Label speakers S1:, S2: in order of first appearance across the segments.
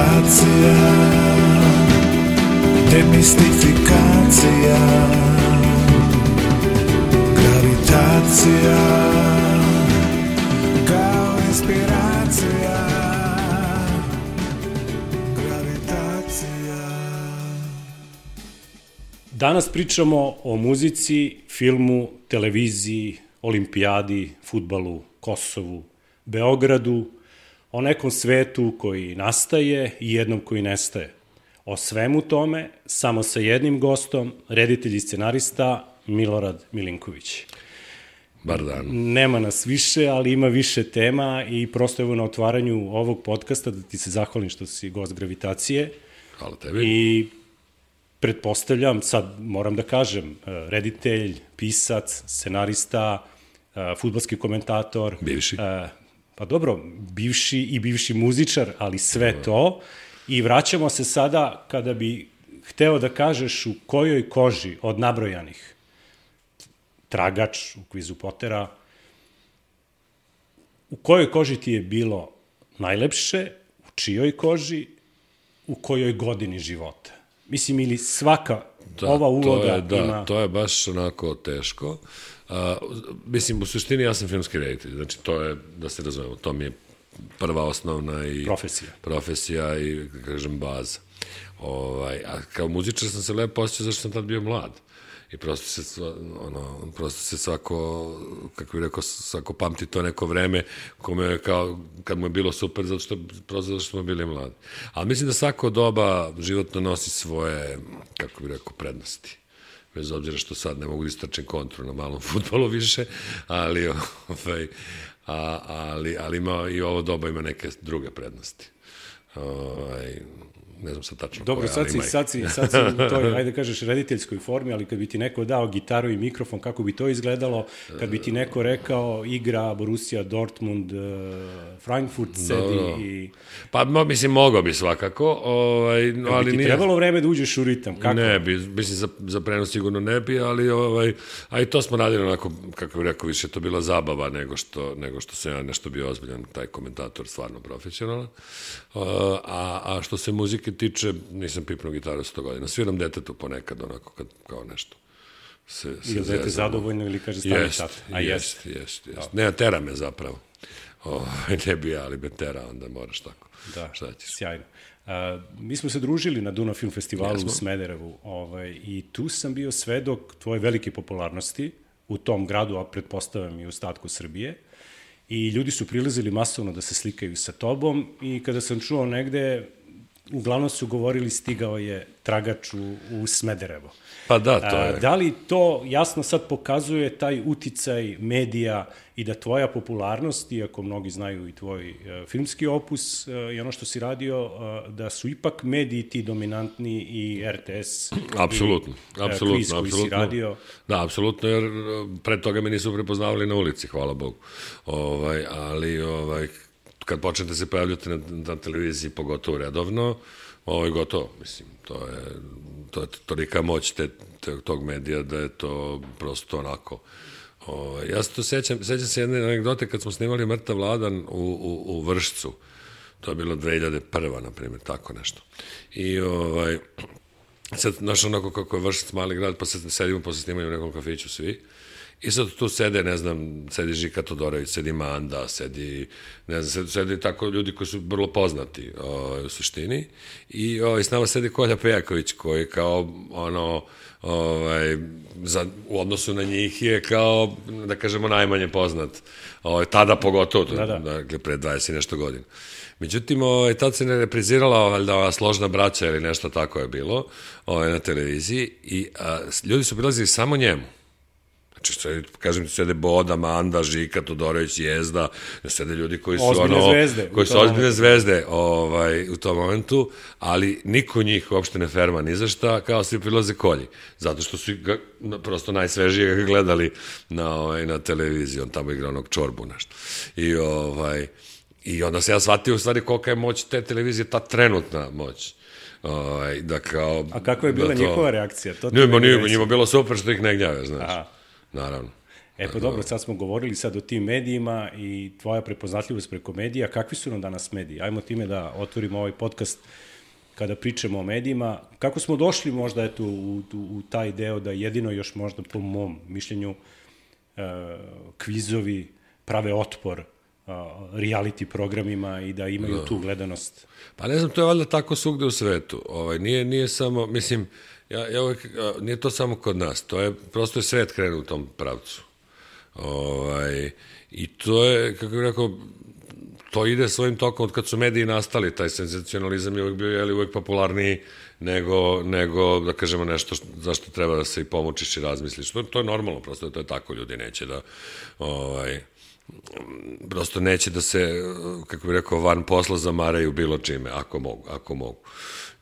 S1: Gravitacija, demistifikacija, gravitacija, kao inspiracija, gravitacija.
S2: Danas pričamo o muzici, filmu, televiziji, olimpijadi, fudbalu, Kosovu, Beogradu, o nekom svetu koji nastaje i jednom koji nestaje. O svemu tome, samo sa jednim gostom, reditelj i scenarista Milorad Milinković.
S3: Bar dan.
S2: Nema nas više, ali ima više tema i prosto evo na otvaranju ovog podcasta da ti se zahvalim što si gost Gravitacije.
S3: Hvala tebi.
S2: I pretpostavljam, sad moram da kažem, reditelj, pisac, scenarista, fudbalski komentator.
S3: Bivši.
S2: Pa dobro, bivši i bivši muzičar, ali sve to. I vraćamo se sada kada bi hteo da kažeš u kojoj koži od nabrojanih, Tragač u kvizu Potera, u kojoj koži ti je bilo najlepše, u čijoj koži, u kojoj godini života? Mislim, ili svaka ova uloga ima...
S3: To je baš onako teško. Mislim, u suštini ja sam filmski reditelj, znači to je, da se razumemo, to mi je prva osnovna i profesija i, kažem, baza. A kao muzičar sam se lepo osjećao zašto sam tad bio mlad. I prosto se svako, kako bih rekao, svako pamti to neko vreme kome kao, kad mu je bilo super, prosto zato što smo bili mladi. Ali mislim da svako doba životno nosi svoje, kako bih rekao, prednosti. Bez obzira što sad ne mogu da istračem kontru na malom fudbalu više, ali ima i ovo doba ima neke druge prednosti. Ne znam sad tačno
S2: dobro,
S3: koja, ali ima
S2: sad si u toj, ajde kažeš, rediteljskoj formi, ali kad bi ti neko dao gitaru i mikrofon, kako bi to izgledalo? Kad bi ti neko rekao igra Borussia Dortmund, Frankfurt sedi i...
S3: Pa, mislim, mogao bi svakako, ali nije...
S2: Kad bi ti trebalo vreme da uđeš u ritam, kako?
S3: Ne bi, mislim, za prenos sigurno ne bi, ali to smo radili onako, kako bih rekao, više to bila zabava nego što sam ja nešto bio ozbiljan, taj komentator stvarno profesionalan. A što se muzike tiče, nisam pipnuo gitaru 100 godina. Sviram detetu ponekad, onako, kao nešto.
S2: Ili dete zadovoljno ili kaže stani tata.
S3: Jest. Ne, tera me zapravo. Ne bi ja, ali me tera, onda moraš tako.
S2: Da, sjajno. Mi smo se družili na Dunav Film Festivalu u Smederevu i tu sam bio svedok tvoje velike popularnosti u tom gradu, a pretpostavljam i u ostatku Srbije. I ljudi su prilazili masovno da se slikaju sa tobom i kada sam čuo negde, uglavnom su govorili stigao je Tragač u Smederevo.
S3: Pa da, to je.
S2: Da li to jasno sad pokazuje taj uticaj medija i da tvoja popularnost, iako mnogi znaju i tvoj filmski opus i ono što si radio, da su ipak mediji ti dominantni i RTS
S3: apsolutno,
S2: i kviz koji si radio?
S3: Da, apsolutno, jer pre toga me nisu prepoznavali na ulici, hvala Bogu. Ali kad počnete se pojavljati na televiziji, pogotovo redovno, gotovo, mislim, to je tolika moć tog medija da je to prosto onako. Ja se to sećam se jedne anegdote kad smo snimali Mrtav Vladan u Vršcu, to je bilo 2001. na primjer, tako nešto. I sad, znaš, onako kako je Vršac mali grad, pa sedimo posle snimanja u nekom kafiću svi. I sad tu sede, ne znam, sedi Žika Todorović, sedi Manda, sedi tako ljudi koji su vrlo poznati u suštini. I s nama sedi Kolja Pejaković, koji kao, u odnosu na njih je kao, da kažemo, najmanje poznat. Tada pogotovo, dakle, pre 20 i nešto godina. Međutim, tad se ne reprizirala valjda Složna braća ili nešto tako je bilo na televiziji i ljudi su prilazili samo njemu. Znači, kažem ti, sede Boda, Manda, Žika, Todorović, Jezda, sede ljudi koji su ozbiljne zvezde u tom momentu, ali niko njih uopšte ne ferma ni za šta, kao svi prilaze Kolji, zato što su ga prosto najsvežije gledali na televiziji, on tamo igra onog Čorbu nešto. I onda se ja shvatio u stvari kolika je moć te televizije, ta trenutna moć.
S2: A kakva je bila njihova reakcija?
S3: Njima bilo super što ih ne gnjave, znaš. Naravno.
S2: Pa dobro, sad smo govorili sad o tim medijima i tvoja prepoznatljivost preko medija. Kakvi su nam danas mediji? Ajmo time da otvorimo ovaj podcast kada pričamo o medijima. Kako smo došli možda eto, u taj deo da jedino još možda po mom mišljenju kvizovi prave otpor reality programima i da imaju tu gledanost?
S3: Pa ne znam, to je valjda tako svugde u svetu. Nije samo, mislim, ja uvek, nije to samo kod nas, to je, prosto je svet krenuo u tom pravcu. I to je, kako bih rekao, to ide svojim tokom od kad su mediji nastali, taj senzacionalizam je uvek bio uvek popularniji nego da kažemo nešto zašto treba da se i pomučiš i razmisliš. To je normalno, prosto to je tako, ljudi neće da prosto neće da se, kako bih rekao, van posla zamaraju bilo čime, ako mogu.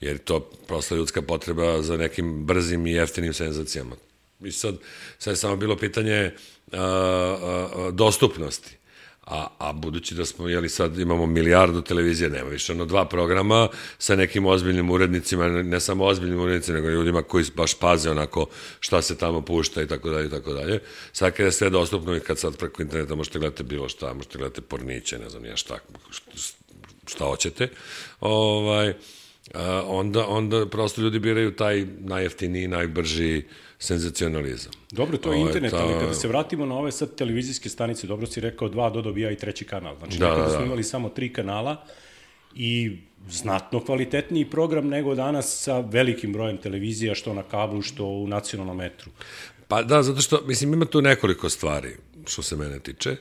S3: Jer to prosto ljudska potreba za nekim brzim i jeftinim senzacijama. I sad je samo bilo pitanje dostupnosti. A budući da smo, sad imamo milijardu televizije, nema više 2 programa sa nekim ozbiljnim urednicima, ne samo ozbiljnim urednicima, nego ljudima koji baš paze onako šta se tamo pušta i tako dalje i tako dalje. Sad kada je sve dostupno i kad sad preko interneta možete gledati bilo šta, možete gledati porniće, ne znam ja šta hoćete, onda prosto ljudi biraju taj najjeftiniji, najbrži senzacionalizam.
S2: Dobro, to je internet, ali kada se vratimo na ove sad televizijske stanice, dobro si rekao 2 dobija i 3. kanal. Znači, nekada smo imali samo 3 kanala i znatno kvalitetniji program nego danas sa velikim brojem televizija, što na kablu, što u nacionalnom etru.
S3: Pa da, zato što, mislim, ima tu nekoliko stvari, što se mene tiče.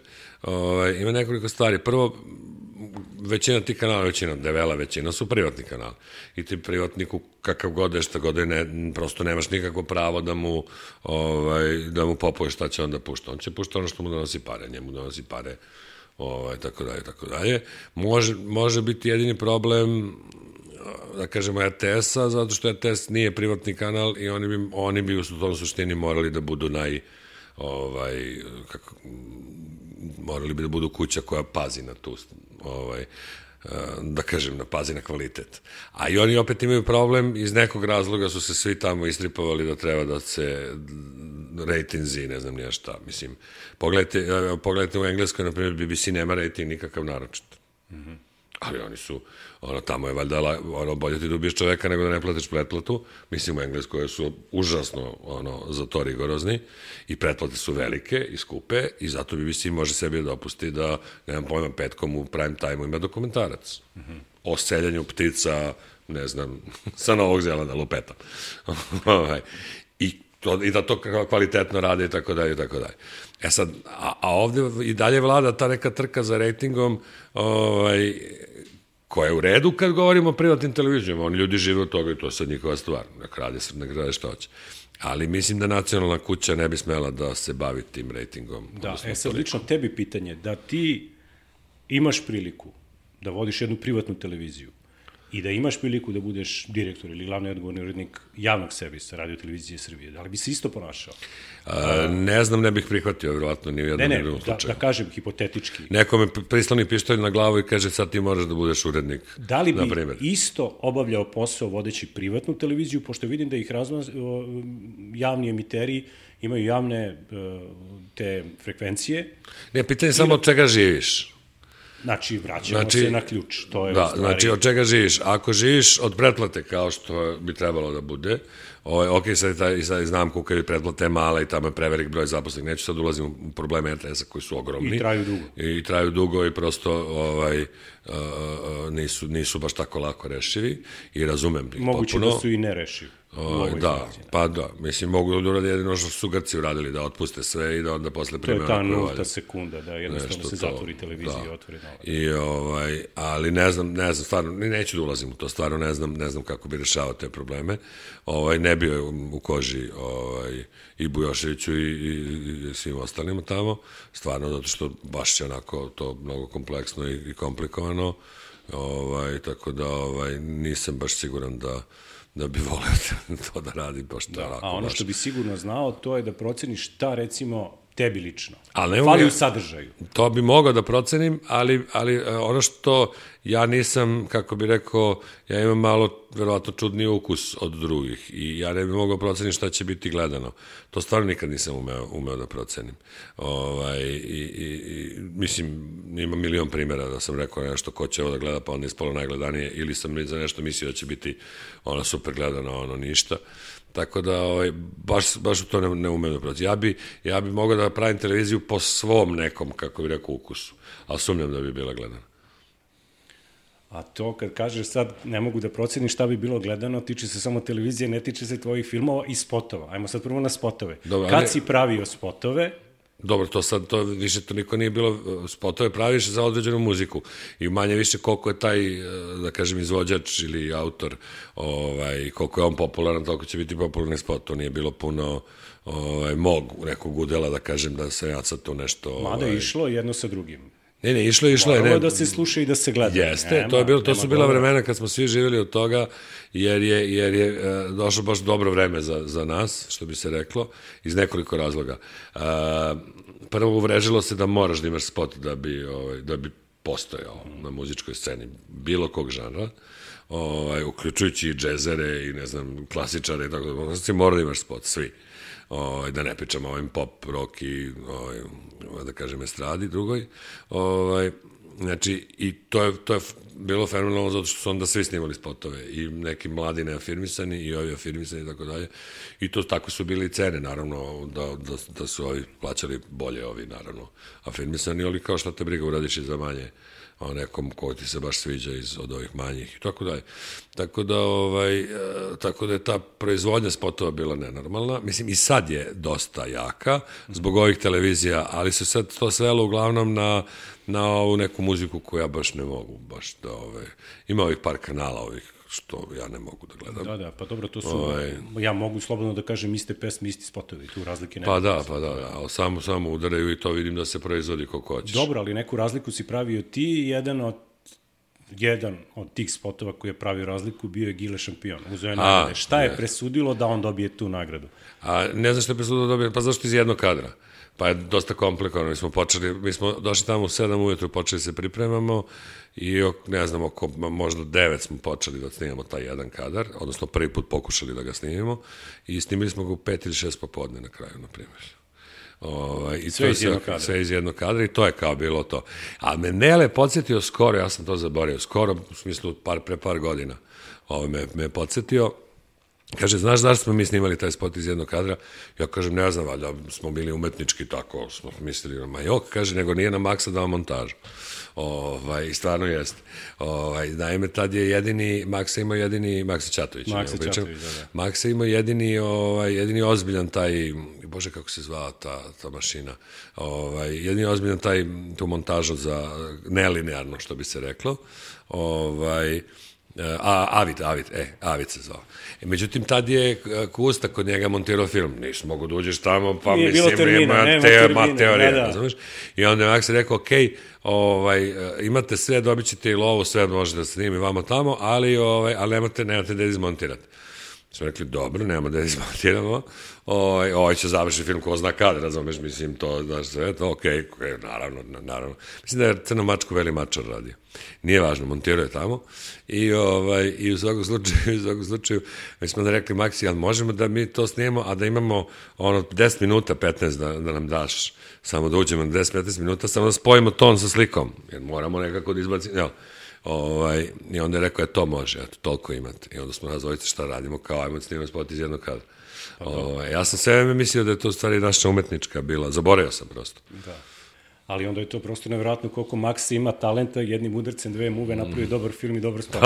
S3: Ima nekoliko stvari. Prvo, većina tih kanala, debela većina su privatni kanali. I ti privatniku, kakav god je, šta god je, prosto nemaš nikakvo pravo da mu popuje šta će onda pušta. On će pušta ono što mu donosi pare, njemu donosi pare, tako dalje, tako dalje. Može biti jedini problem, da kažemo, RTS-a, zato što RTS nije privatni kanal i oni bi u tom suštini morali da budu morali bi da budu kuća koja pazi na tu, da kažem, pazi na kvalitet. A i oni opet imaju problem, iz nekog razloga su se svi tamo istripovali da treba da se rejtinzi, ne znam nija šta. Mislim, pogledajte u Engleskoj, na primjer, BBC nema rejting nikakav naročit. Ali oni su, tamo je valjda bolje ti da ubiješ čoveka nego da ne platiš pretplatu. Mislim, u Engleskoj su užasno za to rigorozni i pretplate su velike i skupe i zato BBC može sebi da dopusti da, nemam pojma, petkom u prime time-u ima dokumentarac o seljanju ptica, ne znam, sa Novog Zelanda, lupetam. I da to kvalitetno rade i tako dalje i tako dalje. E sad, a ovde i dalje vlada ta neka trka za rejtingom, koja je u redu kad govorimo o privatnim televizijama. Oni ljudi žive od toga i to je sad njihova stvar. Nek rade što hoće. Ali mislim da nacionalna kuća ne bi smela da se bavi tim rejtingom.
S2: Da, sad lično tebi pitanje, da ti imaš priliku da vodiš jednu privatnu televiziju i da imaš priliku da budeš direktor ili glavni odgovorni urednik javnog servisa Radio Televizije Srbije, da li bi se isto ponašao?
S3: Ne znam, ne bih prihvatio, vjerovatno, ni u jednom drugom slučaju.
S2: Da kažem, hipotetički.
S3: Neko me prisloni pištolj na glavu i kaže sad ti moraš da budeš urednik.
S2: Da li bi isto obavljao posao vodeći privatnu televiziju, pošto vidim da ih javni emiteri imaju javne te frekvencije?
S3: Ne, pitanje je samo od čega živiš.
S2: Znači, vraćamo se na ključ.
S3: Da, znači, od čega živiš? Ako živiš od pretplate, kao što bi trebalo da bude, ok, sad znam koliko je pretplate mala i tamo je prevelik broj zaposlenih, neću sad ulazim u probleme RTS-a koji su ogromni. I traju dugo i prosto nisu baš tako lako rešivi i razumem ih potpuno.
S2: Moguće da su i nerešivi.
S3: Da, pa da, mislim, mogu da uradi jedino što su Grci uradili, da otpuste sve i da onda posle prime...
S2: To je ta nulta sekunda, da jednostavno se zatvori televizija i otvori nova.
S3: Ali ne znam, stvarno, neću da ulazim u to, stvarno ne znam kako bi rešavao te probleme. Ne bio u koži i Bujoševiću i svim ostalima tamo, stvarno, zato što baš je onako to mnogo kompleksno i komplikovano, tako da nisam baš siguran da bi volio to da radi baš tako.
S2: A ono što bi sigurno znao, to je da proceniš šta, recimo, tebi lično?
S3: Ali
S2: fali u sadržaju.
S3: To bi mogao da procenim, ali ono što ja nisam, kako bi rekao, ja imam malo, verovatno, čudniji ukus od drugih i ja ne bi mogao procenim šta će biti gledano. To stvarno nikad nisam umeo da procenim. Mislim, ima milion primjera da sam rekao nešto ko će ovo da gleda, pa onda ispalo najgledanije, ili sam za nešto mislio da će biti ono super gledano, ono ništa. Tako da, baš u to ne umem da proći. Ja bi mogao da pravim televiziju po svom nekom, kako bi rekao, ukusu, ali sumnjam da bi bila gledana.
S2: A to kad kažeš sad ne mogu da procenim šta bi bilo gledano, tiče se samo televizije, ne tiče se tvojih filmova i spotova. Ajmo sad prvo na spotove.
S3: Dobro,
S2: kad si pravio spotove?
S3: Dobro, to više to niko nije bilo, spotove praviš za određenu muziku i manje više koliko je taj, da kažem, izvođač ili autor, koliko je on popularan, toliko će biti popularni spot. To nije bilo puno mog nekog udela, da kažem, da se ja sad tu nešto...
S2: Mada je išlo jedno sa drugim.
S3: Ne, išlo je.
S2: Moralo da se sluša i da se gleda.
S3: Jeste, to su bila vremena kad smo svi živjeli od toga, jer je došlo baš dobro vreme za nas, što bi se reklo, iz nekoliko razloga. Prvo, uvrežilo se da moraš da imaš spot da bi postojao na muzičkoj sceni bilo kog žanra, uključujući i džezere i, ne znam, klasičare i tako da. Znači, mora da imaš spot, svi. Da ne pričamo o ovim pop, rock i, da kažem, estradi drugoj. Znači, i to je bilo fenomenalno zato što su onda svi snimali spotove i neki mladi neafirmisani i ovi afirmisani i tako dalje. I to tako su bili cene, naravno, da su ovi plaćali bolje, ovi, naravno, afirmisani, ali kao šta te briga, uradiš i za manje o nekom ko ti se baš sviđa od ovih manjih i tako dalje. Tako da je ta proizvodnja spotova bila nenormalna. Mislim, i sad je dosta jaka zbog ovih televizija, ali se sad to svelo uglavnom na ovu neku muziku koju ja baš ne mogu, baš da ima ovih par kanala ovih što ja ne mogu da gledam.
S2: Da, pa dobro, to su, ja mogu slobodno da kažem, iste pesme, isti spotovi, tu razlike nema.
S3: Pa da, ali samo udaraju i to vidim da se proizvodi koliko hoćeš.
S2: Dobro, ali neku razliku si pravio ti, jedan od tih spotova koji je pravio razliku bio je Gile Šampion. Uzeo je nagrade. Šta je presudilo da on dobije tu nagradu?
S3: Ne znam što je presudilo da dobije, pa zašto iz jednog kadra? Pa je dosta komplikovano. Mi smo došli tamo u 7 ujutru, počeli se pripremamo i ne znam, oko možda 9 smo počeli da snimamo taj jedan kadar, odnosno prvi put pokušali da ga snimimo i snimili smo ga u 5 ili 6 popodne na kraju, na primjer. Sve iz jednog kadra i to je kao bilo to. A me Nele podsjetio skoro, ja sam to zaboravio, skoro, u smislu pre par godina, me podsjetio. Kaže, znaš zašto smo mi snimali taj spot iz jednog kadra? Ja kažem, ne znam, valjda smo bili umetnički, tako smo mislili, kaže, nego nije na Maksa dao montažu. I stvarno jeste. Naime, tad je Maksa Ćatović. Maksa imao jedini ozbiljan taj, bože kako se zvala ta mašina, jedini ozbiljan tu montažu za nelinearno, što bi se reklo, Avid se zvao. Međutim, tad je Kusta kod njega montirao film. Nisi mogu da uđeš tamo, pa mislim, ima teorija, razumiješ? I onda je Maksa rekao, imate sve, dobit ćete i lovu, sve možete da snimi vamo tamo, ali nemate da izmontirate. Smo rekli, dobro, nemamo da izmontiramo, ovaj će završiti film ko zna kad, razumeš, mislim, to, znaš, sve, to, okej, naravno. Mislim da je Crno mačku Veli mačar radio. Nije važno, montirao je tamo i u svakom slučaju, mi smo da rekli, Maksi, ali možemo da mi to snijemo, a da imamo 10 minuta, 15 da nam daš, samo da uđemo 10-15 minuta, samo da spojimo ton sa slikom, jer moramo nekako da izbacimo, jel? I onda je rekao, to može, toliko imate. I onda smo nas dvojice šta radimo, kao ajmo snimamo spot iz jednog kadra. Ja sam sve vreme mislio da je to u stvari naša umetnička bila, zaboravio sam prosto.
S2: Da, ali onda je to prosto nevjerojatno koliko Max ima talenta, jednim udarcem, 2 muve napravi dobar film i dobar spot.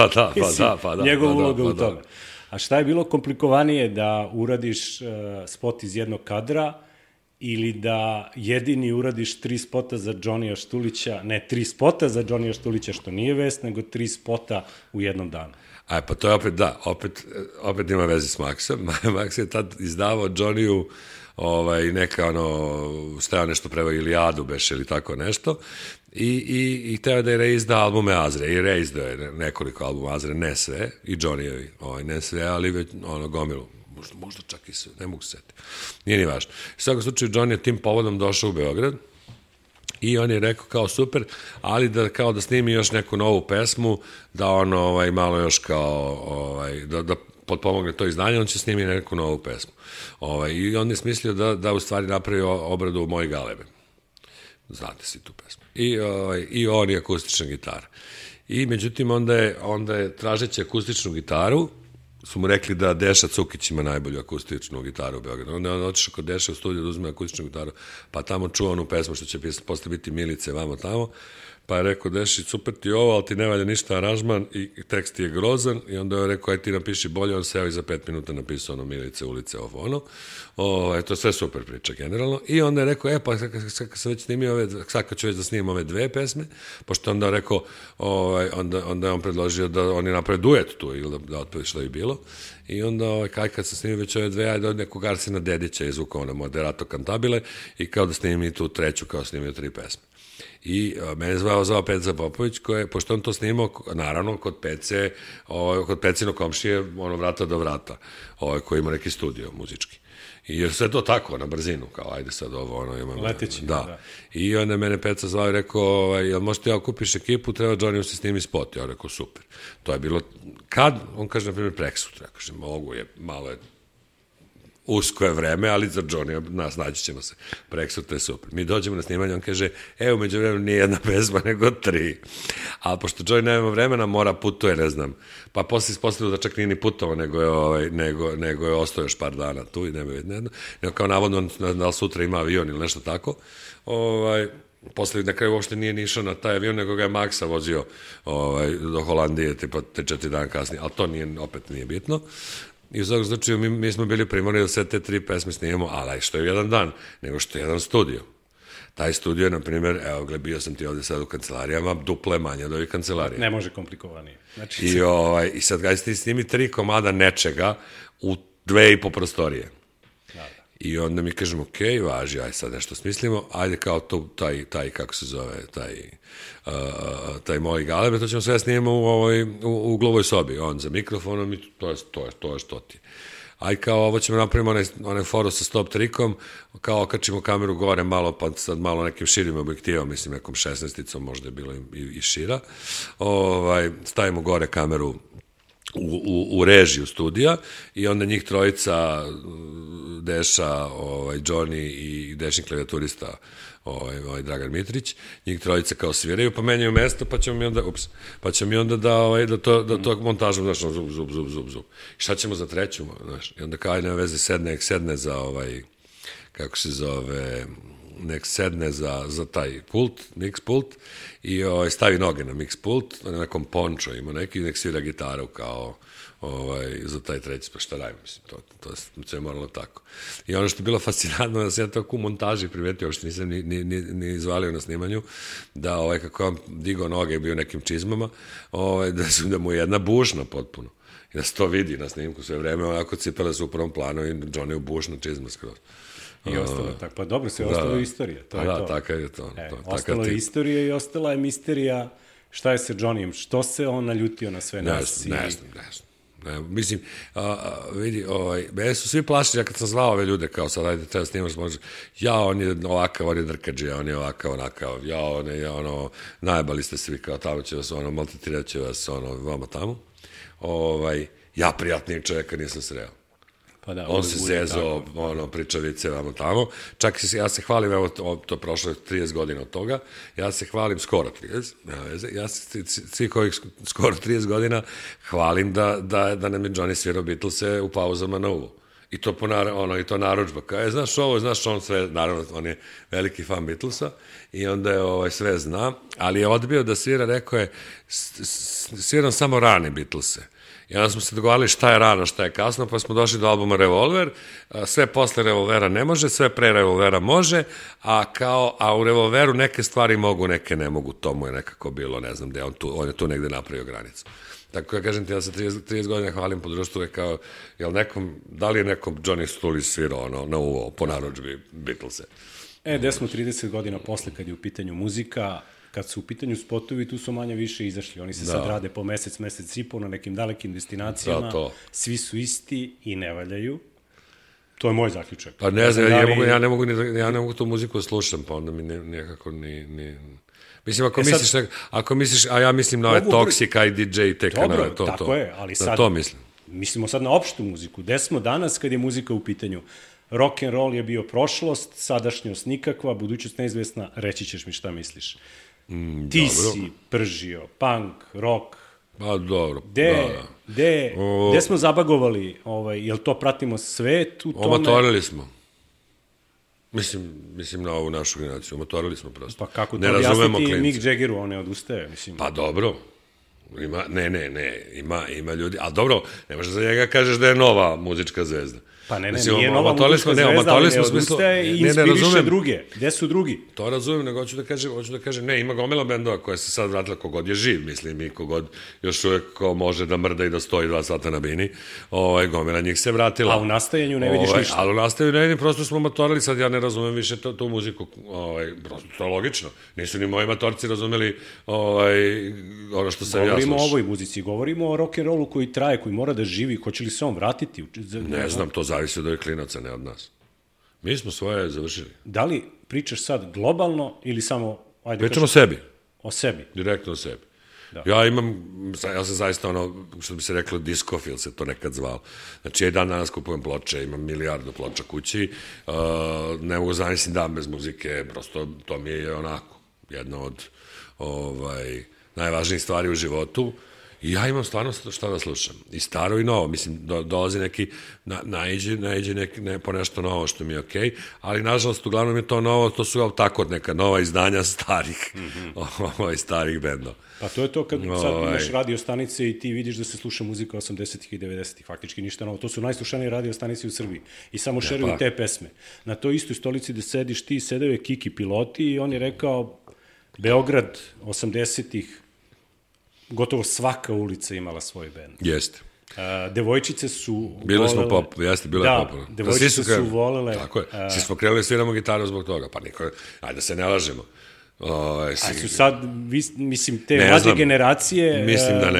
S3: Pa da.
S2: Njegova uloga u tome. A šta je bilo komplikovanije, da uradiš spot iz jednog kadra ili da jedini uradiš 3 spota za Džonija Štulića, ne 3 spota za Džonija Štulića, što nije vest, nego 3 spota u jednom danu?
S3: Pa to je opet ima veze s Maksom. Maks je tad izdavao Džoniju neka stajao nešto prema Ilijadu beš ili tako nešto i hteo da je reizda albume Azre i reizdao je nekoliko albuma Azre, ne sve, i Džonijevi, ne sve, ali već gomilu možda čak i sve, ne mogu se setiti. Nije ni važno. U svakom slučaju, Johnny je tim povodom došao u Beograd i on je rekao kao super, ali da snimi još neku novu pesmu, da on malo još kao, da potpomogne to izdanje, on će snimi neku novu pesmu. I on je smislio da u stvari napravi obradu Moje galebe. Znate si tu pesmu. I on je akustična gitara. I međutim, onda je tražeći akustičnu gitaru, su mu rekli da Deša Cukić ima najbolju akustičnu gitaru u Beogradu. Onda je on otišao kod Deša u studiju da uzme akustičnu gitaru, pa tamo čuo onu pesmu što će posle biti Milice vamo tamo, pa je rekao Deši, super ti ovo, ali ti ne valja ništa aranžman i tekst je grozan, i onda je rekao, aj ti napiši bolje, on seo i za 5 minuta napisao ono Milice, ulice, ovo. To je sve super priča generalno. I onda je rekao, pa sad već snimio sad kad ću već da snimim ove 2 pesme, pošto onda je rekao, onda je on predložio da oni naprave duet tu, ili da otpeve što je bilo. I onda, kad sam snimio već ove 2, ajde od nekog Arsena Dedića izvukao na Moderato Cantabile i kao da snimim i tu 3, kao snimio 3 pesme. I mene zvao Peca Popović, pošto on to snimao, naravno, kod Pecinog komšije, vrata do vrata, koji ima neki studio muzički. I sve to tako, na brzinu, kao, ajde sad ovo, imamo...
S2: Leteći,
S3: da. I onda mene Peca zvao i rekao, jel možete ja okupiš ekipu, treba Johnny se snimi spot. Ja rekao, super. To je bilo, kad? On kaže, na primjer, preksutra. Ja kažem, mogu je, malo je usko je vreme, ali za Johnny naći ćemo se. Preksutra je super. Mi dođemo na snimanje, on kaže, umeđu vremenu nije jedna pesma, nego 3. Ali pošto Johnny nema vremena, mora putuje, ne znam. Pa posle ispostavilo da čak nije ni putovao, nego je ostao još par dana tu i nema jedno. Nego kao navodno, da li sutra ima avion ili nešto tako. Posle na kraju uopšte nije nišao na taj avion, nego ga je Maksa vozio do Holandije, tipa te 4 dana kasnije. Ali to opet nije bitno. I u svakom slučaju mi smo bili primorni da sve te 3 pesme snimamo, ali što je jedan dan, nego što je jedan studio. Taj studio je, na primjer, bio sam ti ovde sad u kancelarijama, duple manje od ovih kancelarija.
S2: Ne može komplikovanije.
S3: I sad ga ti snimi 3 komada nečega u 2,5 prostorije. I onda mi kažemo, važi, aj sad nešto smislimo, ajde kao taj kako se zove, taj Moje galebe, to ćemo sve snimamo u uglovoj sobi, on za mikrofonom i to je što ti. Aj kao ovo ćemo napravimo onaj foru sa stop trikom, kao okačimo kameru gore malo, pa sad malo nekim širim objektivom, mislim nekom 16-icom, možda je bilo i šira, stavimo gore kameru u režiju studija i onda njih trojica, Deša, Johnny i Dešin klavijaturista, Dragan Mitrić, njih trojica kao sviraju, pa menjaju mesto, pa ćemo mi onda da to montažom, znaš, zub. I šta ćemo za 3, znaš, i onda kao nema veze, sedne za kako se zove, nek sedne za taj pult, mix pult, i stavi noge na mix pult, na nekom pončo ima neki, nek svira gitaru kao za taj 3, pa šta radim, mislim, to je moralo tako. I ono što je bilo fascinantno, da sam ja tako u montaži primetio, uopšte nisam ni izvalio na snimanju, da kako on digao noge i bio nekim čizmama, da mu je jedna bušna potpuno. I da se to vidi na snimku sve vreme, onako cipele su u prvom planu i Johnny u bušna čizma skroz.
S2: I ostalo tako, pa dobro se, ostalo je istorija, to je to.
S3: Da, takav je to.
S2: Ostalo je istorija i ostala je misterija šta je sa Johnnyjem, što se on naljutio na sve nas.
S3: Ne znam. Mislim, vidi, mene su svi plašili, ja kad sam zvao ove ljude, kao sad, ajde, treba snimaš, on je ovakav, on je drkađe, on je ovakav, onakav, najbali ste svi, kao tamo će vas, maltretirat će vas, vama tamo. Ja prijatnijeg čovjeka nisam sreo.
S2: Pa da,
S3: on se zezao, pričavice vamo tamo. Čak ja se hvalim, evo, to prošlo 30 godina od toga, ja se hvalim skoro 30, ja se svih ovih skoro 30 godina hvalim da nam je Johnny svirao Beatlese u pauzama na uvo. I to i to narudžba. Kao, znaš ovo, znaš on sve, naravno, on je veliki fan Beatlesa i onda je sve zna, ali je odbio da svira, rekao je, sviram samo rane Beatlese. I onda smo se dogovarali šta je rano, šta je kasno, pa smo došli do albuma Revolver, sve posle Revolvera ne može, sve pre Revolvera može, a u Revolveru neke stvari mogu, neke ne mogu, to mu je nekako bilo, ne znam gde, on je tu negde napravio granicu. Tako ja kažem ti, ja se 30 godina hvalim po društvu, kao, da li je nekom Johnny Stullis svirao na uvo po narudžbi Beatlese?
S2: Gde smo 30 godina posle kad je u pitanju muzika, kad su u pitanju spotovi, tu su manje više izašli. Oni se sad rade po mesec i po na nekim dalekim destinacijama. Svi su isti i ne valjaju. To je moj zaključak.
S3: Pa ne znam, ja ne mogu tu muziku da slušam, pa onda mi nekako ni... Mislim, ako misliš, a ja mislim na ove Toksika i DJ Tekana,
S2: dobro,
S3: to.
S2: Tako je, ali sad...
S3: To mislim.
S2: Mislimo sad na opštu muziku. Gde smo danas kad je muzika u pitanju? Rock and roll je bio prošlost, sadašnjost nikakva, budućnost neizvesna, reći ćeš mi šta misliš. Ti si pržio, punk, rock.
S3: Pa dobro,
S2: Gde smo zabagovali? Jel to pratimo svet u tome?
S3: Omatorili smo. Mislim na ovu našu generaciju, omatorili smo prosto.
S2: Pa kako to objasniti Mick Jaggeru, on ne odustaje, mislim.
S3: Pa dobro, ima ljudi, ali dobro, ne možeš za njega kažeš da je nova muzička zvezda.
S2: Pa nije nova muzička zvezda, ali ne odustaje i inspiriše druge. Gde su drugi?
S3: To razumem, nego hoću da kažem, ne, ima gomila bendova koja se sad vratila kogod je živ, mislim, i kogod još uvek može da mrda i da stoji 2 sata na bini, gomila njih se vratila.
S2: A u nastajanju ne vidiš ništa.
S3: Ali u nastajanju ne vidim, prosto smo matorili, sad ja ne razumem više tu muziku, prosto to je logično. Nisu ni moji matorci razumeli ono što sam ja slušao.
S2: Govorimo o ovoj muzici, govorimo o rock'n'rollu koji traje, koji mora da živi, hoće li se on vratiti?
S3: Ne znam, to zavisi od ovih klinaca, ne od nas. Mi smo svoje završili.
S2: Da li pričaš sad globalno ili samo...
S3: Pričamo o sebi.
S2: O sebi?
S3: Direktno o sebi.
S2: Da.
S3: Ja sam zaista što bi se reklo, diskofil se to nekad zvalo. Znači, ja i dan danas kupujem ploče, imam 1 milijardu ploča kući, ne mogu zamislim dan bez muzike, prosto to mi je onako jedna od najvažnijih stvari u životu. I ja imam stvarno šta da slušam. I staro i novo. Mislim, dolazi neki, naiđe po nešto novo što mi je okej, ali nažalost, uglavnom je to novo, to su tako neka nova izdanja starih bendova.
S2: Pa to je to kad sad imaš radio stanice i ti vidiš da se sluša muzika 80-ih i 90-ih, faktički ništa novo. To su najslušanije radio stanice u Srbiji. I samo šeruju te pesme. Na toj istoj stolici gde sediš ti, sedeo je Kiki Piloti i on je rekao Beograd 80-ih, gotovo svaka ulica imala svoj bend.
S3: Jeste.
S2: Devojčice su
S3: bili smo bilo je popularno.
S2: Devojčice su volele...
S3: Tako je. Svi smo krenuli sviramo gitaru zbog toga. Pa niko... Ajde da se ne lažemo.
S2: A su sad, mislim, te mlađe generacije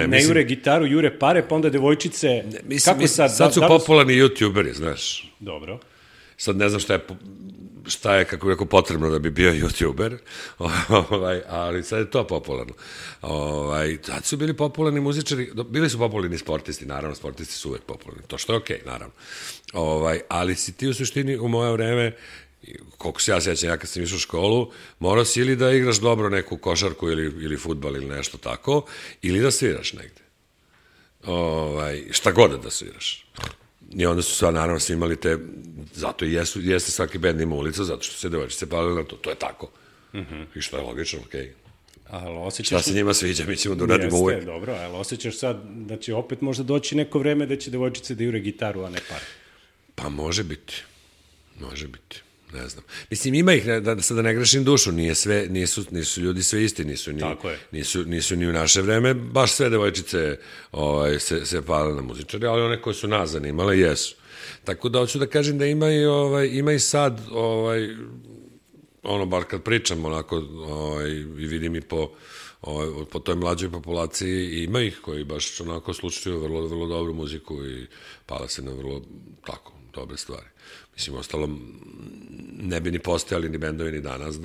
S2: ne jure gitaru, jure pare, pa onda devojčice...
S3: Sad su popularni youtuberi, znaš.
S2: Dobro.
S3: Sad ne znam šta je, kako rekao, potrebno da bi bio youtuber, ali sad je to popularno. Sad su bili popularni muzičari, bili su popularni sportisti, naravno, sportisti su uvek popularni, to što je okej, naravno. Ali si ti u suštini u moje vreme, koliko se ja sjećam, ja kad sam išao u školu, morao si ili da igraš dobro neku košarku ili fudbal ili nešto tako, ili da sviraš negde. Šta god da sviraš. I onda su sva, naravno, svi imali te, zato i jeste svaki bend ima ulicu, zato što se devojčice palili na to, to je tako. I što je logično, okej. Šta se njima sviđa, mi ćemo da uradimo uvek.
S2: Jeste, dobro, ali osjećaš sad da će opet možda doći neko vreme da će devojčice da jure gitaru, a ne pare.
S3: Pa može biti, ne znam. Mislim, ima ih, sad da ne grešim dušu, nisu ljudi sve isti, nisu ni u naše vreme, baš sve devojčice se pale na muzičari, ali one koje su nas zanimale, jesu. Tako da hoću da kažem da ima i sad, bar kad pričam onako, i vidim i po toj mlađoj populaciji, ima ih koji baš onako slušaju vrlo, vrlo dobru muziku i pala se na vrlo tako dobre stvari. Mislim, ostalo, ne bi ni postojali ni bendovi ni danas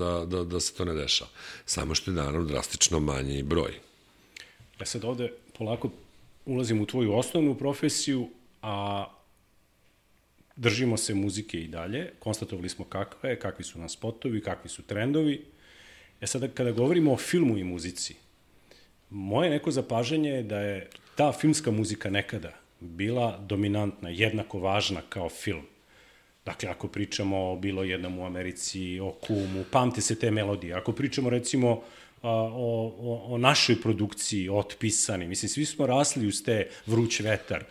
S3: da se to ne dešava. Samo što je naravno drastično manji broj.
S2: Ja sad ovde polako ulazim u tvoju osnovnu profesiju, a držimo se muzike i dalje. Konstatovali smo kakvi su nam spotovi, kakvi su trendovi. Sada kada govorimo o filmu i muzici, moje neko zapažanje je da je ta filmska muzika nekada bila dominantna, jednako važna kao film. Dakle, ako pričamo o Bilo jednom u Americi, o Kumu, pamte se te melodije. Ako pričamo, recimo, o našoj produkciji, Otpisani, mislim, svi smo rasli uz te Vruć vetar.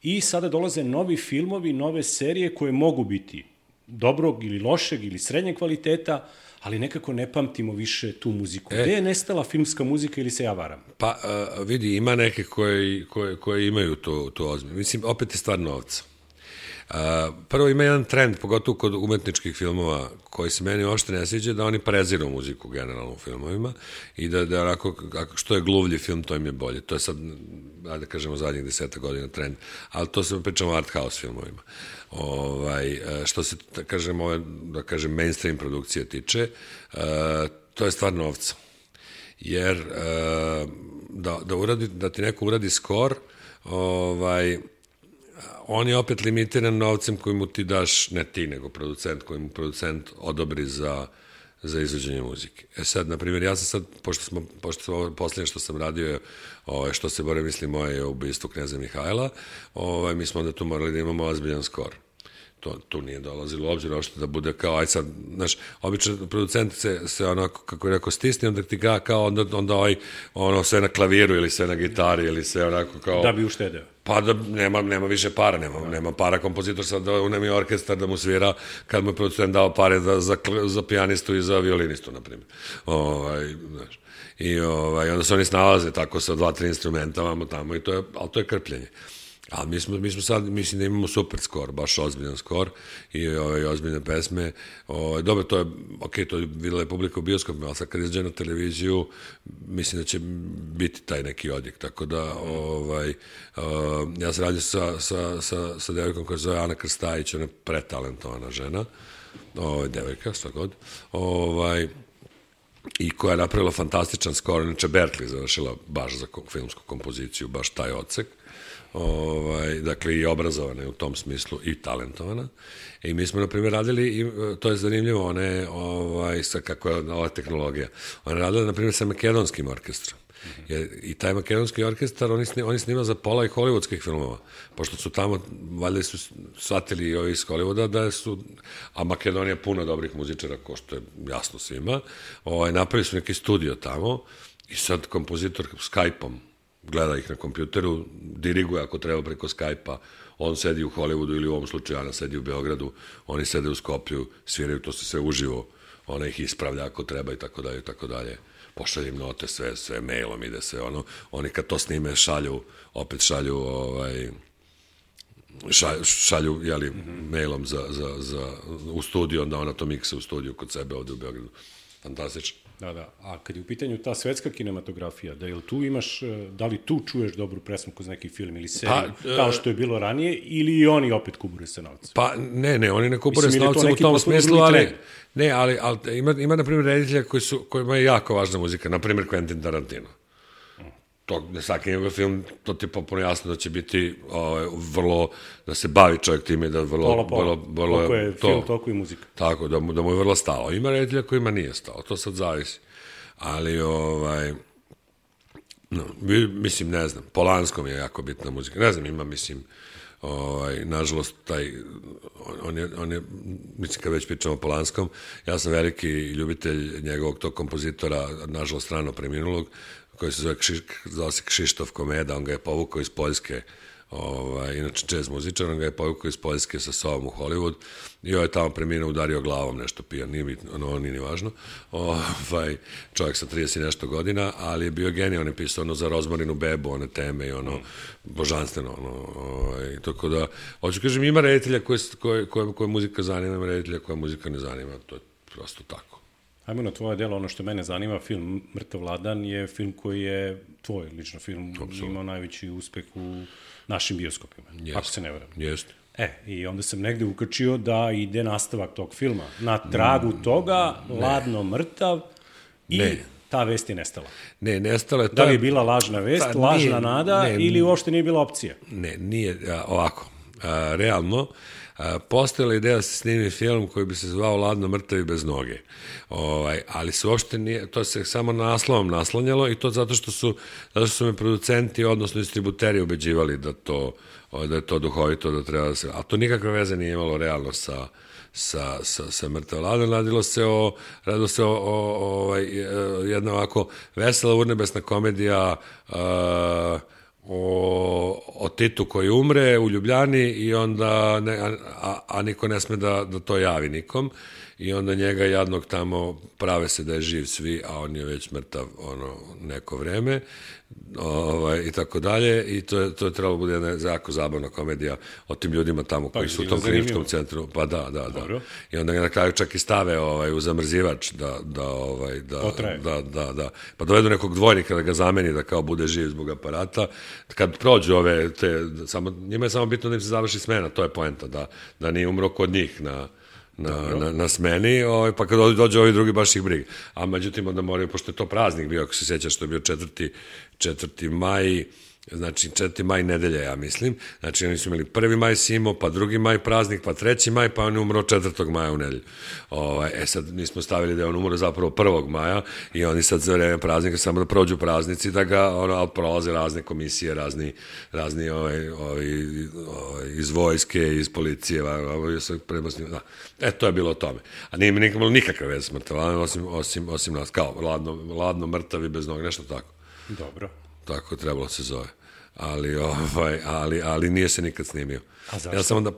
S2: I sada dolaze novi filmovi, nove serije koje mogu biti dobrog ili lošeg ili srednjeg kvaliteta, ali nekako ne pamtimo više tu muziku. Gde je nestala filmska muzika ili se ja varam?
S3: Pa, vidi, ima neke koje imaju to ozbiljno. Mislim, opet je stvar novca. Prvo ima jedan trend, pogotovo kod umetničkih filmova, koji se meni uopšte ne sviđa, da oni preziru muziku generalno u filmovima i da onako, što je gluvlji film, to im je bolje. To je sad, da kažemo, zadnjih 10 godina trend, ali to se pričamo o art house filmovima. Što se, da kažem, mainstream produkcije tiče, to je stvar novca. Jer da ti neko uradi skor, on je opet limitiran novcem koji mu ti daš, ne ti, nego producent, koji mu producent odobri za izvođenje muzike. Sad, na primjer, ja sam sad, pošto ovo posljednje što sam radio, što se bore, mislim, moje ubistvo kneza Mihajla, mi smo onda tu morali da imamo ozbiljan skor. Tu nije dolazilo u obzir, ošto da bude kao, aj sad, znaš, obično producent se onako, kako je rekao, stisne, onda ti ga kao, onda sve na klaviru ili sve na gitari ili sve onako kao...
S2: Da bi uštedeo.
S3: Pa da nema više para, nema para kompozitor sad da unemi orkestar da mu svira kad mu je producent dao pare za pijanistu i za violinistu, na primjer. Znaš. I onda se oni snalaze tako sa 2-3 instrumenta vamo tamo, ali to je krpljenje. Ali mi smo sad, mislim da imamo super skor, baš ozbiljan skor i ozbiljne pesme. Dobro, to je, to je videla je publika u bioskopima, ali sad kad izađe na televiziju, mislim da će biti taj neki odjek. Tako da, ja sam radio sa devojkom koja se zove Ana Krstajić, ona je pretalentovana žena, devojka, šta god, i koja je napravila fantastičan skor, inače Berkeley završila baš za filmsku kompoziciju, baš taj odsek. Dakle i obrazovana je u tom smislu i talentovana. I mi smo, na primjer, radili, to je zanimljivo, kako je ova tehnologija, ona je radila, na primjer, sa makedonskim orkestrom. I taj makedonski orkestar, oni snima za pola i hollywoodskih filmova, pošto su tamo, valjda su shvatili i ovi iz Hollywooda da su, a Makedonija puno dobrih muzičara, ko što je jasno svima, napravili su neki studio tamo i sad kompozitor Skype-om gleda ih na kompjuteru, diriguje ako treba preko Skype-a, on sedi u Hollywoodu ili u ovom slučaju Ana sedi u Beogradu, oni sede u Skoplju, sviraju to se sve uživo, ona ih ispravlja ako treba i tako dalje, tako dalje. Pošalje im note, sve mailom ide sve ono, oni kad to snime šalju jeli, mailom u studiju, onda ona to miksa u studiju kod sebe ovde u Beogradu. Fantastično.
S2: Da. A kad je u pitanju ta svetska kinematografija, da li tu čuješ dobru presmu kroz neki film ili seriju, kao što je bilo ranije, ili i oni opet kubure sa novcem?
S3: Pa ne, oni ne kubure sa novcem u tom smislu, ali ima na primjer reditelja kojima je jako važna muzika, na primjer Quentin Tarantino. To, svaki njegov film, to ti je popuno jasno da će biti vrlo, da se bavi čovjek time, da vrlo...
S2: Toliko je film, toliko i muzika.
S3: Tako, da mu je vrlo stalo. Ima reditelja kojima nije stalo, to sad zavisi. Ali, mislim, ne znam, Polanskom je jako bitna muzika. Ne znam, ima, mislim, nažalost, on je, mislim, kad već pričamo o Polanskom, ja sam veliki ljubitelj njegovog tog kompozitora, nažalost, rano preminulog, koji se zove Krzysztof Komeda, on ga je povukao iz Poljske, inače jazz muzičar, on ga je povukao iz Poljske sa sobom u Hollywood i je tamo preminuo, udario glavom nešto pijan, nije ni važno, čovjek sa 30 i nešto godina, ali je bio genij, on je pisao za Rozmarinu bebu, one teme i božanstveno, tako da, hoću kažem, ima reditelja koje muzika zanima, ima reditelja koja muzika ne zanima, to je prosto tako.
S2: Ajmo na tvoje delo, ono što mene zanima, film Mrtav Ladan je film koji je tvoj lično film, imao najveći uspeh u našim bioskopima, ako se ne varam.
S3: Jeste.
S2: I onda sam negde ukačio da ide nastavak tog filma. Na tragu toga, Ladno mrtav i ta vest je nestala.
S3: Ne, nestala je...
S2: Da li je bila lažna vest, lažna nada ili uopšte nije bila opcija?
S3: Ne, nije ovako. Realno, postojala ideja da se snimi film koji bi se zvao Ladno mrtav i bez noge. Ali se uopšte nije, to se samo naslovom naslanjalo i to zato što su me producenti, odnosno distributeri ubeđivali da je to duhovito, da treba da se... A to nikakve veze nije imalo realno sa Mrtav Ladan. Radilo se o jedna ovako vesela urnebesna komedija o Titu koji umre u Ljubljani i onda, a niko ne sme da to javi nikom. i onda njega jadnog tamo prave se da je živ svi, a on je već mrtav neko vreme, i tako dalje, i to je trebalo bude jedna jako zabavna komedija o tim ljudima tamo koji su u tom kliničkom centru, pa da. I onda ga na kraju čak i stave u zamrzivač da pa dovedu nekog dvojnika da ga zameni da kao bude živ zbog aparata. Kad prođu njima je samo bitno da im se završi smena, to je poenta, da nije umro kod njih na smeni, pa kad dođe ovi drugi baš ih briga. A međutim onda moraju, pošto je to praznik bio, ako se sjećaš, što je bio 4. maj, znači 4. maj nedelja, ja mislim, znači oni su imali 1. maj Simo, pa 2. maj praznik, pa 3. maj, pa on je umro 4. maja u nedelju. Sad nismo stavili da je on umro zapravo 1. maja i oni sad za vreme praznika samo da prođu praznici, da ga prolaze razne komisije, razni iz vojske, iz policije, to je bilo o tome. A nije mi nikad bilo nikakve veze s mrtvalanjem, osim nas, kao ladno mrtav i bez noga, nešto tako.
S2: Dobro.
S3: Tako trebalo se zove. Ali nije se nikad snimio.
S2: A zašto?
S3: Ja sam onda,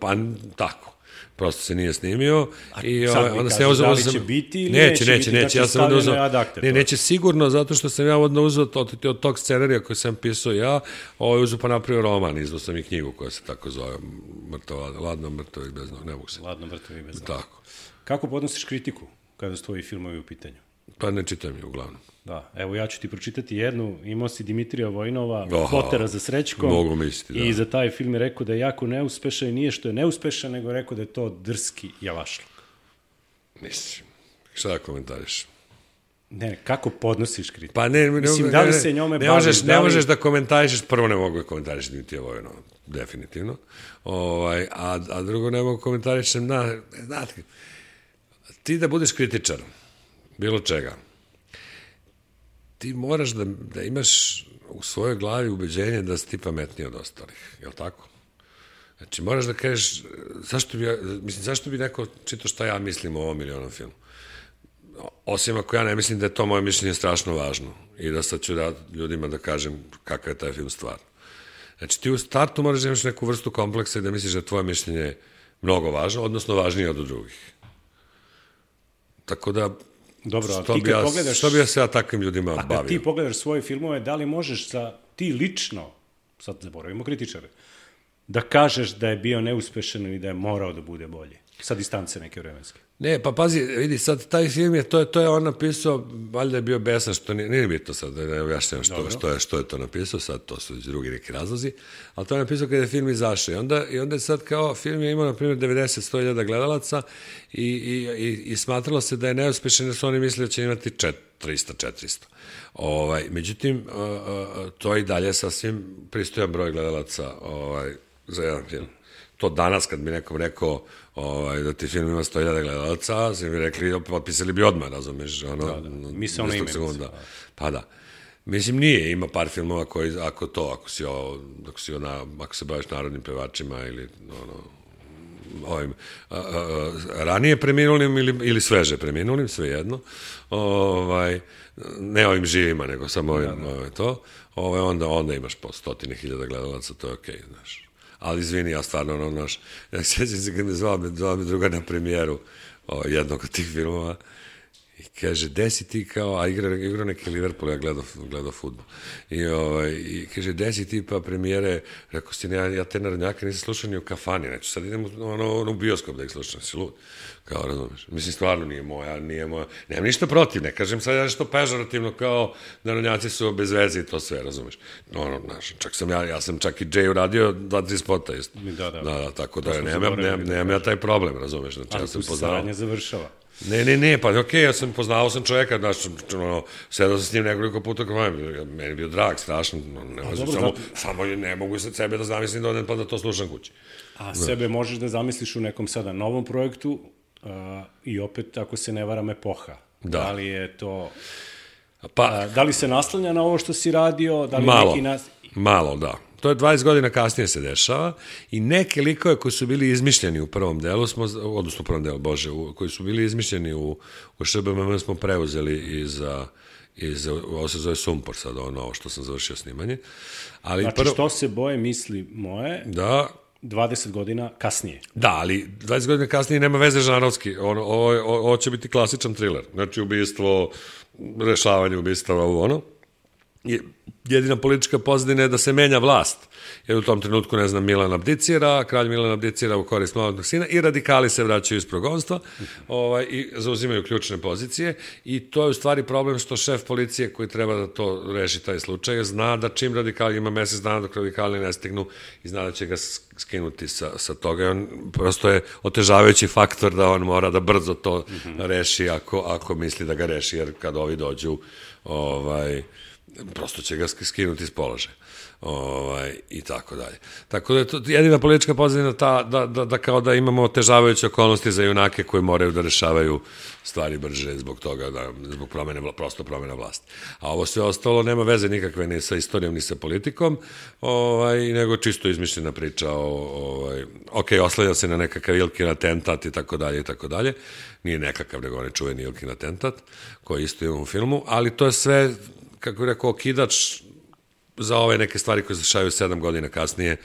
S3: tako. Prosto se nije snimio.
S2: I sad mi kažeš da li će biti ili neće biti, znači stavljeno je ad acta.
S3: Neće sigurno, zato što sam ja onda uzeo od tog scenarija koji sam pisao ja, uzeo pa napravio roman, izdao sam i knjigu koja se tako zove, Ladno mrtav i bez noga, ne mogu se.
S2: Ladno mrtav i bez noga.
S3: Tako.
S2: Kako podnosiš kritiku kada su tvoji filmovi u pitanju?
S3: Pa ne čitam je uglavnom.
S2: Da, evo ja ću ti pročitati jednu, imao si Dimitrija Vojnova, Potera za Srećkom,
S3: mogu misliti,
S2: i za taj film je rekao da je jako neuspešan i nije što je neuspešan, nego je rekao da je to drski javašluk.
S3: Mislim, šta da komentariš?
S2: Ne, kako podnosiš kritiku?
S3: Pa
S2: mislim, da li se njome bavi?
S3: Ne možeš da komentariš, prvo ne mogu da komentariš Dimitrija Vojnova, definitivno, a drugo ne mogu komentariš, znate, ti da budeš kritičar, bilo čega, ti moraš da imaš u svojoj glavi ubeđenje da si ti pametniji od ostalih, je li tako? Znači, moraš da kažeš, zašto bi neko čitao šta ja mislim o ovom ili onom filmu? Osim ako ja ne mislim da je to moje mišljenje strašno važno i da sad ću ljudima da kažem kakav je taj film stvarno. Znači, ti u startu moraš da imaš neku vrstu kompleksa i da misliš da je tvoje mišljenje mnogo važno, odnosno važnije od drugih. Tako da,
S2: dobro, a ti kad pogledaš...
S3: Što bi ja se ja takvim ljudima bavio?
S2: A kad ti pogledaš svoje filmove, da li možeš ti lično, sad zaboravimo kritičare, da kažeš da je bio neuspešan ili da je morao da bude bolji? Sa distance neke vremenske.
S3: Ne, pa pazi, vidi, sad taj film je, to je on napisao, valjda je bio besan, što nije bitno sad, da ne objašnjam što je to napisao, sad to su drugi neki razlozi, ali to je napisao kada je film izašao i onda je sad kao, film je imao, na primjer, 90-100 gledalaca i smatralo se da je neuspešan jer su oni mislili da će imati 300-400. Međutim, to je i dalje sasvim pristojan broj gledalaca za jedan film. To danas kad bi nekom rekao da ti film ima 100.000 gledalaca, svi bi rekli, potpisali bi odmah, razumiješ?
S2: Mi se ono ime.
S3: Pa da. Mislim, nije, ima par filmova koji, ako se baviš narodnim pevačima ili ovim ranije preminulim ili sveže preminulim, svejedno, ne ovim živima, nego samo ovim to, onda imaš po 100.000 gledalaca, to je okej, znaš. Ali izvini, ja stvarno, ja sjećam se kad me zvao mi druga na premijeru jednog od tih filmova i kaže, gde si ti kao, a igrao neki Liverpool, ja gledao fudbal, i kaže, gde si ti pa premijere, rekao si, ja te narodnjake nisam slušao ni u kafani, neću, sad idem u bioskop da ih slušam, si lud, kao, razumeš, mislim, stvarno nije moja, nemam ništa protiv, ne kažem sad nešto pežorativno, kao, narodnjaci su bez veze i to sve, razumeš, ja sam čak i Jay uradio 2-3 spota, isto, da, tako da, nemam ja taj problem, razumeš, znači, ja sam poznao.
S2: Ali tu se saradnja završava.
S3: Ne, pa okej, poznao sam čoveka, sedao sam s njim nekoliko puta, meni je bio drag, strašno, samo ne mogu sebe da zamislim da odem pa da to slušam kući.
S2: A sebe možeš da zamisliš u nekom sada novom projektu i opet, ako se ne varam, epoha. Da li je to... Da li se naslanja na ovo što si radio?
S3: Malo, da. To je 20 godina kasnije se dešava i neke likove koji su bili izmišljeni u prvom delu, koji su bili izmišljeni u ŠBMM smo preuzeli ovo se zove Sumpor sad, ovo što sam završio snimanje.
S2: Znači, što se boje misli moje, 20 godina kasnije.
S3: Da, ali 20 godina kasnije nema veze žanrovski. Ovo će biti klasičan thriller. Znači, ubistvo, rešavanje ubistava, ono. Jedina politička pozadina je da se menja vlast. Jer u tom trenutku, ne znam, Milan abdicira, kralj Milan abdicira u korist maloletnog sina i radikali se vraćaju iz progonstva i zauzimaju ključne pozicije. I to je u stvari problem što šef policije koji treba da to reši taj slučaj zna da čim radikali ima mesec dana dok radikali ne stignu i zna da će ga skinuti sa toga. I on prosto je otežavajući faktor da on mora da brzo to reši ako misli da ga reši, jer kad ovi dođu prosto će ga skinuti iz položaja. I tako dalje. Tako da je to jedina politička pozadina ta da kao da imamo otežavajuće okolnosti za junake koji moraju da rešavaju stvari brže zbog toga, zbog prosto promena vlasti. A ovo sve ostalo nema veze nikakve ni sa istorijom ni sa politikom, nego čisto izmišljena priča oslanja se na nekakav Ilkin atentat i tako dalje i tako dalje. Nije nekakav, nego on je čuveni Ilkin atentat koji isto imamo u filmu, ali to je sve, kako je rekao, okidač za ove neke stvari koje se dešavaju 7 godina kasnije,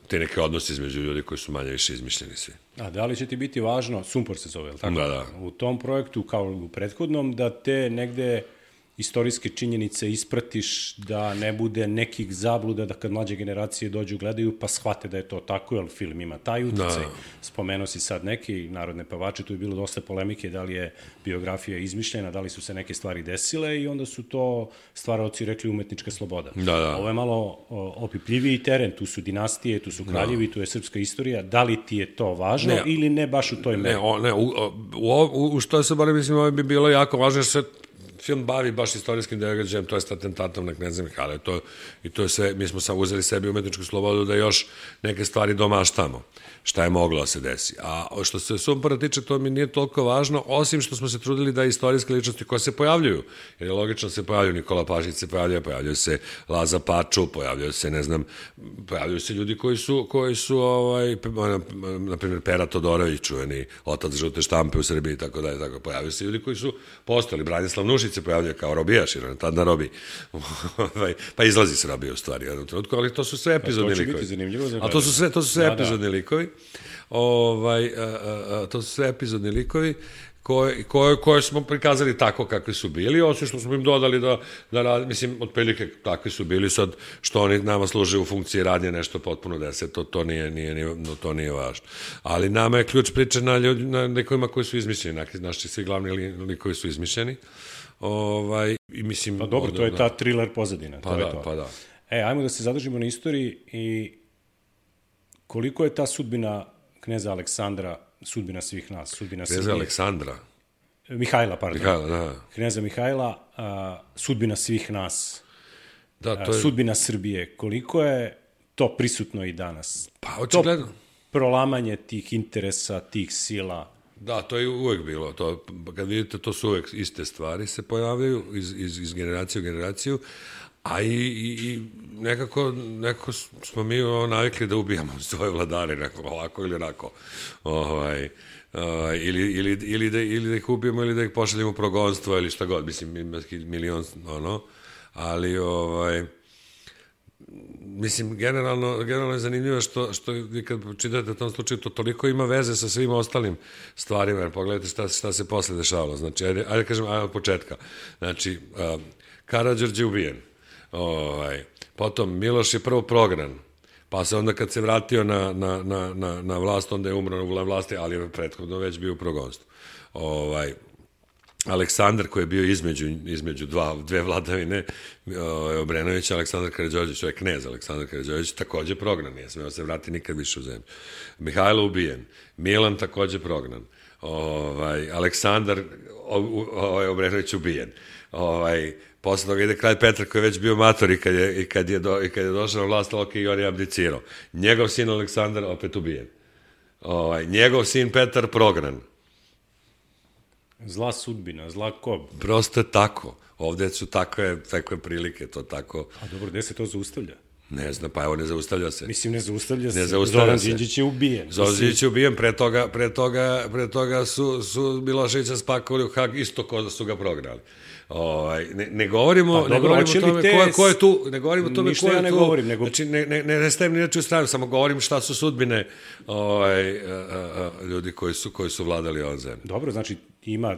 S3: te neke odnose između ljudi koji su manje više izmišljeni svi.
S2: A da li će ti biti važno, Sumpor se zove, je li tako?
S3: Da.
S2: U tom projektu, kao u prethodnom, da te negde istorijske činjenice ispratiš, da ne bude nekih zabluda, da kad mlađe generacije dođu, gledaju, pa shvate da je to tako, jer film ima taj uticaj. Spomenuo si sad neki narodne pevače, tu je bilo dosta polemike, da li je biografija izmišljena, da li su se neke stvari desile i onda su to stvaraoci rekli umetnička sloboda.
S3: Da.
S2: Ovo je malo opipljiviji teren, tu su dinastije, tu su kraljevi, tu je srpska istorija. Da li ti je to važno ili ne baš u toj meri?
S3: Ne, u što se bar mislim, ovo bi bilo jako važno, jer se film bavi baš istorijskim događajem, to je atentatom na kneza Mihajla. I to je sve, mi smo samo uzeli sebi umetničku slobodu da još neke stvari domaštamo, šta je moglo da se desi. A što se Sumpora tiče, to mi nije toliko važno, osim što smo se trudili da istorijske ličnosti koje se pojavljuju, jer je logično se pojavljuju, Nikola Pašić se pojavljaju se Laza Paču, pojavljaju se, ne znam, pojavljuju se ljudi koji su na primjer Pera Todorović, čuveni otac žute štampe u Srbiji i tako dalje, tako pojavljaju se ljudi koji su postali, Branislav Nušić se pojavljuje kao robijaš, jer on je tad na robi. Pa izlazi se robija u stvari u jednom trenutku, ali to su sve epizodni likovi.
S2: To će biti zanimljivo za gledanje.
S3: A to su sve epizodni likovi. To su sve epizodni likovi koje smo prikazali tako kakvi su bili, osim što smo im dodali da mislim, otprilike takvi su bili, sad što oni nama služe u funkciji radnje nešto potpuno deset, to nije važno. Ali nama je ključ priče na likovima koji su izmišljeni, naši svi glavni likovi su izmišljeni.
S2: Pa dobro, to je ta thriller pozadina.
S3: Pa da.
S2: Ajmo da se zadržimo na istoriji i koliko je ta sudbina kneza Aleksandra sudbina svih nas, sudbina Srbije.
S3: Kneza Aleksandra?
S2: Mihajla, pardon.
S3: Mihajla, da.
S2: Kneza Mihajla, sudbina svih nas,
S3: to je...
S2: sudbina Srbije. Koliko je to prisutno i danas?
S3: Pa, očigledno.
S2: To prolamanje tih interesa, tih sila.
S3: Da, to je uvek bilo. Kad vidite, to su uvek iste stvari se pojavljaju iz generacije u generaciju, a i nekako smo mi navikli da ubijamo svoje vladare, ovako ili onako. Ili da ih ubijemo, ili da ih pošaljemo u progonstvo, ili šta god, mislim, milion, ali mislim, generalno je zanimljivo što vi kad čitate u tom slučaju, to toliko ima veze sa svim ostalim stvarima, jer pogledajte šta se posle dešavalo. Znači, ajde kažem, od početka. Znači, Karađorđe je ubijen. Potom Miloš je prvo prognan, pa se onda kad se vratio na vlast, onda je umro na vlasti, ali je prethodno već bio u progonstvu. Aleksandar koji je bio između dve vladavine, Obrenović, Aleksandar Karađorđević, to je knez Aleksandar Karađorđević, takođe prognan, nije smeo se vrati nikad više u zemlju. Mihajlo ubijen, Milan takođe prognan, Aleksandar Obrenović ubijen, posle toga ide kralj Petar koji je već bio mator i kad je došao na vlast, i on je abdicirao. Njegov sin Aleksandar opet ubijen. Njegov sin Petar prognan.
S2: Zla sudbina, zla kob.
S3: Prosto je tako. Ovde su takve prilike, to tako.
S2: A dobro, gde se to zaustavlja?
S3: Ne znam, pa evo, ne zaustavlja se.
S2: Mislim, ne zaustavlja se.
S3: Ne zaustavlja
S2: Zoran
S3: se.
S2: Đinđić je ubijen.
S3: Zoran Đinđić je ubijen, pre toga su Miloševića spakovali u Hag, isto ko da su ga prognali. Ne govorimo o tome ko je tu, ne govorimo o tome ko je tu, znači ne stajem ni neću stranu, samo govorim šta su sudbine ljudi koji su vladali ovom zemlju.
S2: Dobro, znači ima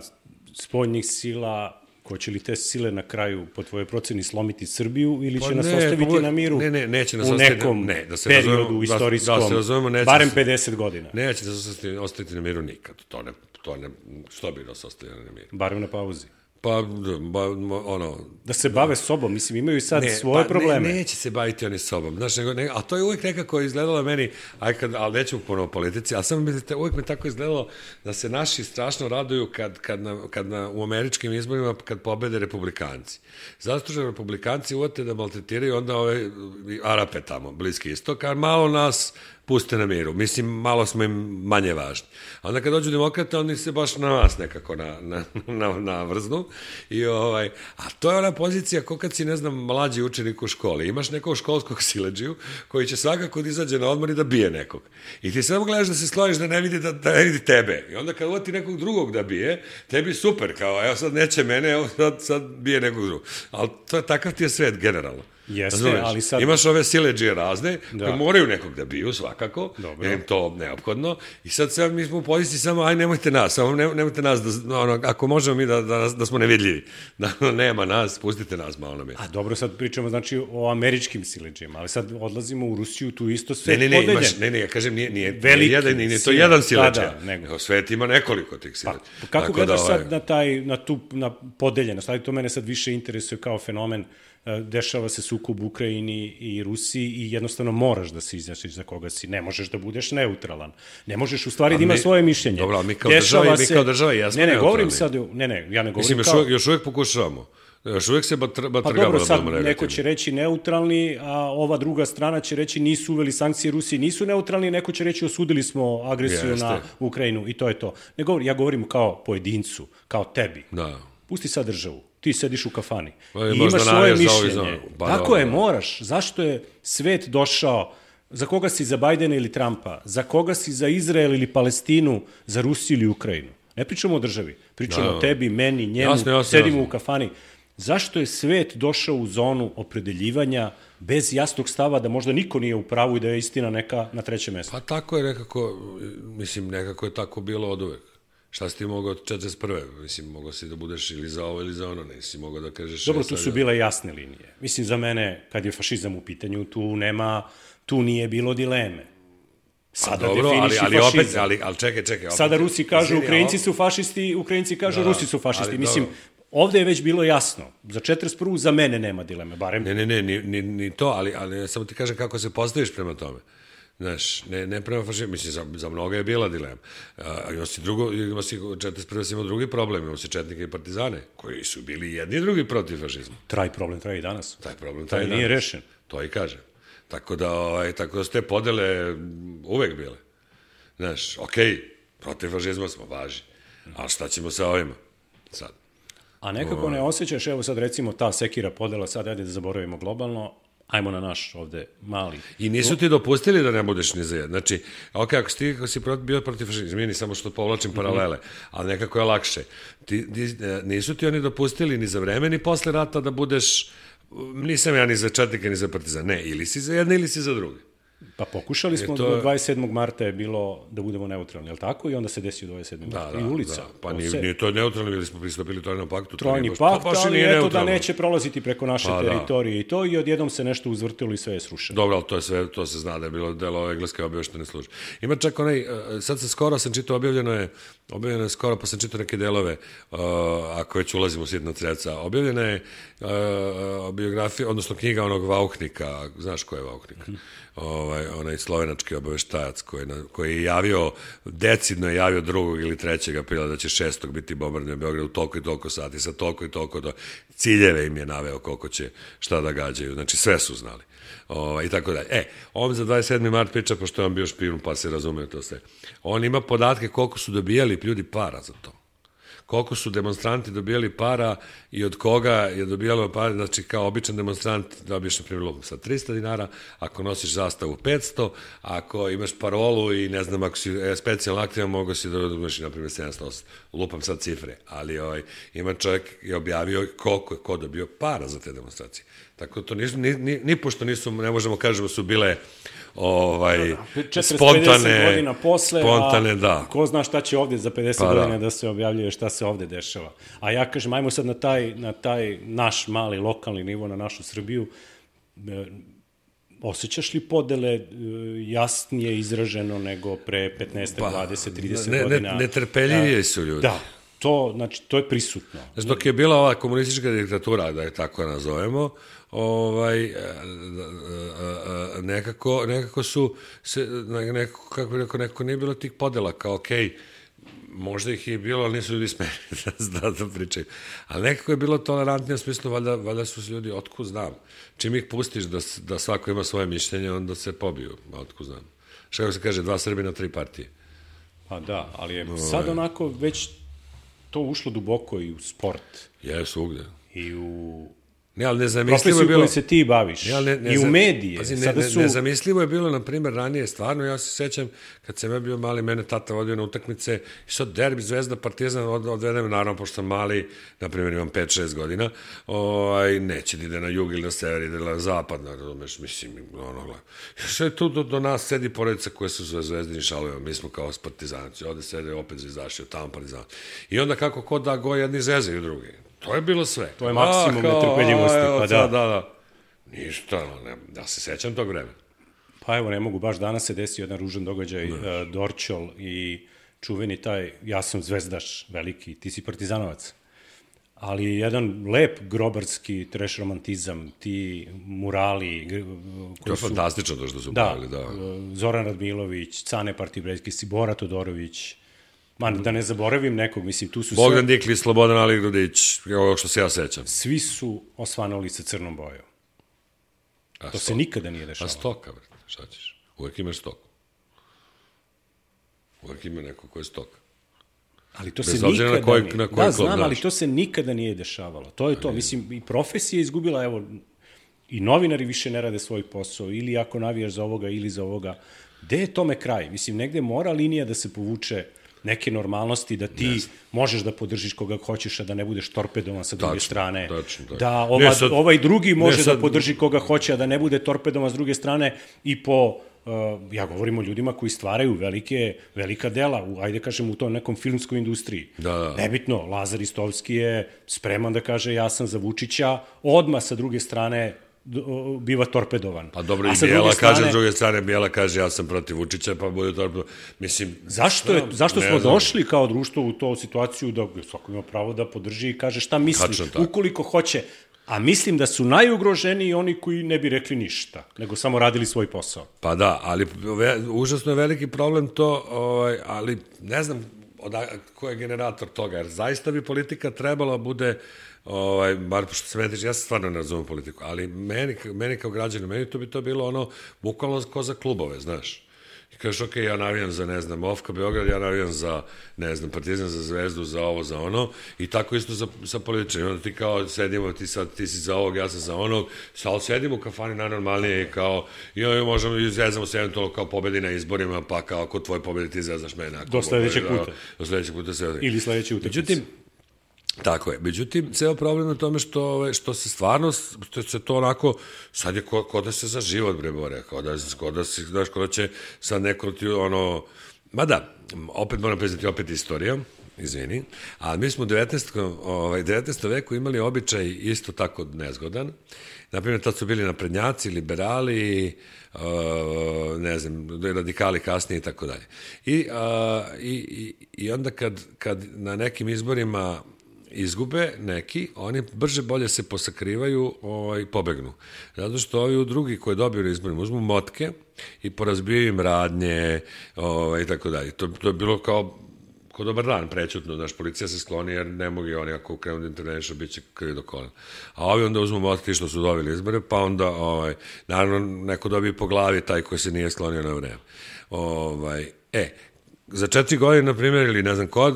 S2: spoljnih sila. Hoće li te sile na kraju, po tvojoj proceni, slomiti Srbiju ili će nas ostaviti na miru
S3: neće nas
S2: u nekom periodu istorijskom, barem 50 godina?
S3: Neće nas ostaviti na miru nikad. Što bi nas ostavili na miru?
S2: Barem na pauzi.
S3: Pa,
S2: da se bave sobom, mislim, imaju i sad svoje probleme.
S3: Neće se baviti oni sobom, znaš, a to je uvijek nekako izgledalo meni, ali nećemo ponovo politici, ali samo mislite, uvijek me tako izgledalo da se naši strašno raduju u američkim izborima kad pobede republikanci. Zato što republikanci uvete da maltretiraju onda ove Arape tamo, Bliski istok, a malo nas puste na miru. Mislim, malo smo im manje važni. A onda kad dođu demokrate, oni se baš na nas nekako navrznu. A to je ona pozicija ko kad si, ne znam, mlađi učenik u školi. Imaš nekog školskog siledžiju koji će svakako da izađe na odmor i da bije nekog. I ti samo gledaš da se skloniš da ne vidi tebe. I onda kad uvati nekog drugog da bije, tebi super, kao evo sad neće mene, evo sad bije nekog drugog. Ali takav ti je svet generalno.
S2: Jeste, ali sad...
S3: Imaš ove siledžije razne, koji moraju nekog da biju svakako, jer im to neophodno, i sad mi smo u poziciji samo, aj nemojte nas, ako možemo mi da smo nevidljivi, da nema nas, pustite nas malo na mjesto.
S2: A dobro, sad pričamo znači o američkim siledžijama, ali sad odlazimo u Rusiju, tu isto svet podeljen.
S3: Ne, ja kažem, nije to jedan siledžija, svet ima nekoliko tih siledžija.
S2: Kako gledaš sad na podeljenost, ali to mene sad više interesuje kao fenomen. Dešava se sukob u Ukrajini i Rusiji i jednostavno moraš da se izjašnjiš za koga si. Ne možeš da budeš neutralan. Ne možeš u stvari da imaš svoje mišljenje.
S3: Dobro, ali mi kao država jesmo neutralni.
S2: Govorim sad, ja ne govorim
S3: mislim,
S2: kao...
S3: Još uvijek pokušavamo. Još uvijek se batrgamo.
S2: Pa dobro, sad neko će reći neutralni, a ova druga strana će reći nisu uveli sankcije Rusiji, nisu neutralni, neko će reći osudili smo agresiju na Ukrajinu i to je to. Ja govorim kao pojedincu, kao tebi.
S3: Da.
S2: Pusti sad državu. Ti sediš u kafani i imaš svoje mišljenje. Tako je, moraš. Zašto je svet došao, za koga si za Bajdena ili Trumpa, za koga si za Izrael ili Palestinu, za Rusiju ili Ukrajinu? Ne pričamo o državi, pričamo o tebi, meni, njemu, sedimo u kafani. Zašto je svet došao u zonu opredeljivanja bez jasnog stava da možda niko nije u pravu i da je istina neka na trećem mjestu?
S3: Pa tako je nekako je tako bilo od uvek. Šta si ti mogao od 41. Mislim, mogao si da budeš ili za ovo ili za ono, nisi mogao da kažeš...
S2: Dobro, tu su bile jasne linije. Mislim, za mene, kad je fašizam u pitanju, tu nije bilo dileme. Sada definiši fašizam.
S3: Ali čekaj.
S2: Sada Rusi kažu Ukrajinci su fašisti, Ukrajinci kažu Rusi su fašisti. Mislim, ovde je već bilo jasno. Za 41. za mene nema dileme, barem...
S3: Ne, ni to, ali samo ti kažem kako se postaviš prema tome. Znaš, ne prema fašizmu, mislim, za mnoga je bila dilema. Ima si 41. si imao drugi problem, imao si četnike i partizane, koji su bili jedni i drugi protiv fašizma.
S2: Problem traje i danas.
S3: Taj
S2: nije rešen.
S3: To i kažem. Tako da su te podele uvek bile. Znaš, protiv fašizma smo, važi. Ali šta ćemo sa ovima sad?
S2: A nekako ne osjećaš, evo sad recimo ta sekira podela, sad ajde da zaboravimo globalno, ajmo na naš ovde mali.
S3: I nisu ti dopustili da ne budeš ni za jedan. Znači, ako si bio protiv fašizma, izmini samo što povlačim paralele, ali nekako je lakše. Nisu ti oni dopustili ni za vreme, ni posle rata da budeš, nisam ja ni za četnika, ni za partizan. Ne, ili si za jedne, ili si za druge.
S2: Pa pokušali smo do 27. marta je bilo da budemo neutralni, je li tako? I onda se desio 27. marta i ulica.
S3: Da. Pa nije to neutralno, bili smo pristupili Trojnom paktu.
S2: Trojni pakt, ali eto da neće prolaziti preko naše teritorije i to, i odjednom se nešto uzvrtilo i sve je srušeno.
S3: Dobro, ali to se zna da je bilo delo engleske objaveštene službe. Ima čak sad skoro sam čitao, objavljeno je skoro, pa sam čitao neke delove, ako već ulazimo u sitna creca, objavljena je biografija, odnosno knjiga onog Vauchnika, znaš ko je Vauchnik? Onaj slovenački obaveštajac koji je javio, decidno je javio 2. ili 3. aprila da će 6. biti bombardovanje Beograda u toliko i toliko sati, sa toliko i toliko ciljeve im je naveo koliko će šta da gađaju, znači sve su znali. I tako dalje. On za 27. mart priča, pošto je on bio špijun, pa se razume to sve. On ima podatke koliko su dobijali ljudi para za to. koliko su demonstranti dobijali para i od koga je dobijalo para, znači kao običan demonstrant dobiješ na primjer sa 300 dinara, ako nosiš zastavu 500, ako imaš parolu i ne znam, ako si specijalno aktivan, mogo si da dobiješ na primjer 700, lupam sad cifre, ali ima čovjek je objavio koliko je ko dobio para za te demonstracije. Tako to nipošto nisu, ne možemo kažemo su bile spontane
S2: godina posle,
S3: spontane, da.
S2: Ko zna šta će ovde za 50 godina da se objavljuje, šta se ovde dešava. A ja kažem, ajmo sad na taj naš mali lokalni nivo, na našu Srbiju. Osjećaš li podele jasnije izraženo nego pre 15, 20, 30 godina?
S3: Netrpeljivije su ljudi.
S2: Da. To je prisutno.
S3: Znači, dok je bila ova komunistička diktatura, da je tako nazovemo, nekako su nekako nije bilo tih podela, kao okej, možda ih je bilo, ali nisu ljudi smeli da pričaju. Ali nekako je bilo tolerantnije u smislu, valjda su ljudi, otkud znam. Čim ih pustiš da svako ima svoje mišljenje, onda se pobiju, otkud znam. Što se kaže, 2 Srbina, 3 partije.
S2: Pa da, ali je sad onako već to ušlo duboko i u sport.
S3: Je, svugde.
S2: I u
S3: profesiju
S2: koju se ti baviš. I u medije.
S3: Nezamislivo je bilo, na primjer, ranije, stvarno, ja se sećam, kad sam ja bio mali, mene tata vodio na utakmice, i sad derbi, Zvezda, Partizan, odvedem, naravno, pošto sam mali, na primjer, imam 5-6 godina, neće da ide na jug ili na sever, ide na zapad, razumeš, mislim, što je tu do nas sedi porodica koje su zvezdini šalovi, mi smo kao partizanci, ovde sede opet zvezdaši, tamo partizanci. I onda kako ko da go jedni zezaju drugi. To je bilo sve.
S2: To je maksimum netrpeljivosti. Pa
S3: da. Ništa, ja se sećam tog vremena.
S2: Pa evo, ne mogu, baš danas se desio jedan ružan događaj, Dorćol i čuveni taj, ja sam zvezdaš veliki, ti si partizanovac. Ali jedan lep grobarski trash romantizam, ti murali...
S3: To je fantastično to što su pravili, da.
S2: Zoran Radmilović, Cane Partibrejski, Bora Todorović, da ne zaboravim nekog, mislim, tu su
S3: Bogdan Dikli, Slobodan Ali Grudić, ovo što se ja sećam.
S2: Svi su osvanuli sa crnom bojom. To se nikada nije dešavalo.
S3: A stoka, šta ćeš? Uvek imaš stoku. Uvek ima neko ko je stoka.
S2: Ali to se nikada znam, ali to se nikada nije dešavalo. To je to, mislim, i profesija je izgubila, evo, i novinari više ne rade svoj posao, ili ako navijaš za ovoga, ili za ovoga. Gde je tome kraj? Mislim, negde mora linija da se povuče neke normalnosti, da ti možeš da podržiš koga hoćeš, a da ne budeš torpedovan sa druge strane. Da ovaj drugi može da podrži koga hoće, a da ne bude torpedovan s druge strane i po... Ja govorim o ljudima koji stvaraju velika dela, ajde kažem u tom nekom filmskoj industriji. Nebitno, Lazar Istovski je spreman da kaže ja sam za Vučića, odmah sa druge strane biva torpedovan.
S3: Pa dobro, i Bijela kaže, s druge strane, Bijela kaže ja sam protiv Vučića, pa bude torpedovan. Mislim...
S2: Zašto smo došli kao društvo u tu situaciju da svako ima pravo da podrži i kaže šta misli, ukoliko hoće. A mislim da su najugroženiji oni koji ne bi rekli ništa, nego samo radili svoj posao. Pa
S3: da, ali užasno je veliki problem to, ali ne znam ko je generator toga, jer zaista bi politika trebala bude, bar što se meni tiče, ja se stvarno ne razumem politiku, ali meni kao građanu, meni to bi to bilo ono, bukvalno ko za klubove, znaš. I kažeš, ok, ja navijam za, ne znam, Ofka Beograd, ja navijam za, ne znam, Partizan, za Zvezdu, za ovo, za ono, i tako isto sa političarima. Onda ti kao sedimo, ti si za ovog, ja sam za onog, ali sedimo u kafani najnormalnije, kao, i možemo i zezamo se eventualno kao pobedi na izborima, pa kao ako tvoj pobedi ti zezaš mene.
S2: Do sledećeg puta.
S3: Do sledećeg puta se odre.
S2: Ili sledeći utakmice.
S3: Tako je. Međutim, ceo problem je tome što se stvarno, što se to onako, sad je ko da se za život, bre, bore, ko da će sad neko ti, ma da, opet moram priznati, opet istorija, izvini, ali mi smo u 19. veku imali običaj isto tako nezgodan. Naprimjer, tad su bili naprednjaci, liberali, ne znam, radikali kasnije i tako dalje. I onda kad na nekim izborima izgube neki, oni brže bolje se posakrivaju i pobegnu. Zato što ovi drugi koji dobiju na izborima uzmu motke i porazbijaju im radnje i tako dalje. To je bilo kao dobar dan, prećutno, znaš, policija se skloni jer ne mogu oni ako krenu da intervenišu, bit će krvi do kolena. A ovi onda uzmu motke što su dobili izbore, pa onda, naravno, neko dobije po glavi taj koji se nije sklonio na vreme. za 4 godine, na primjer, ili ne znam ko,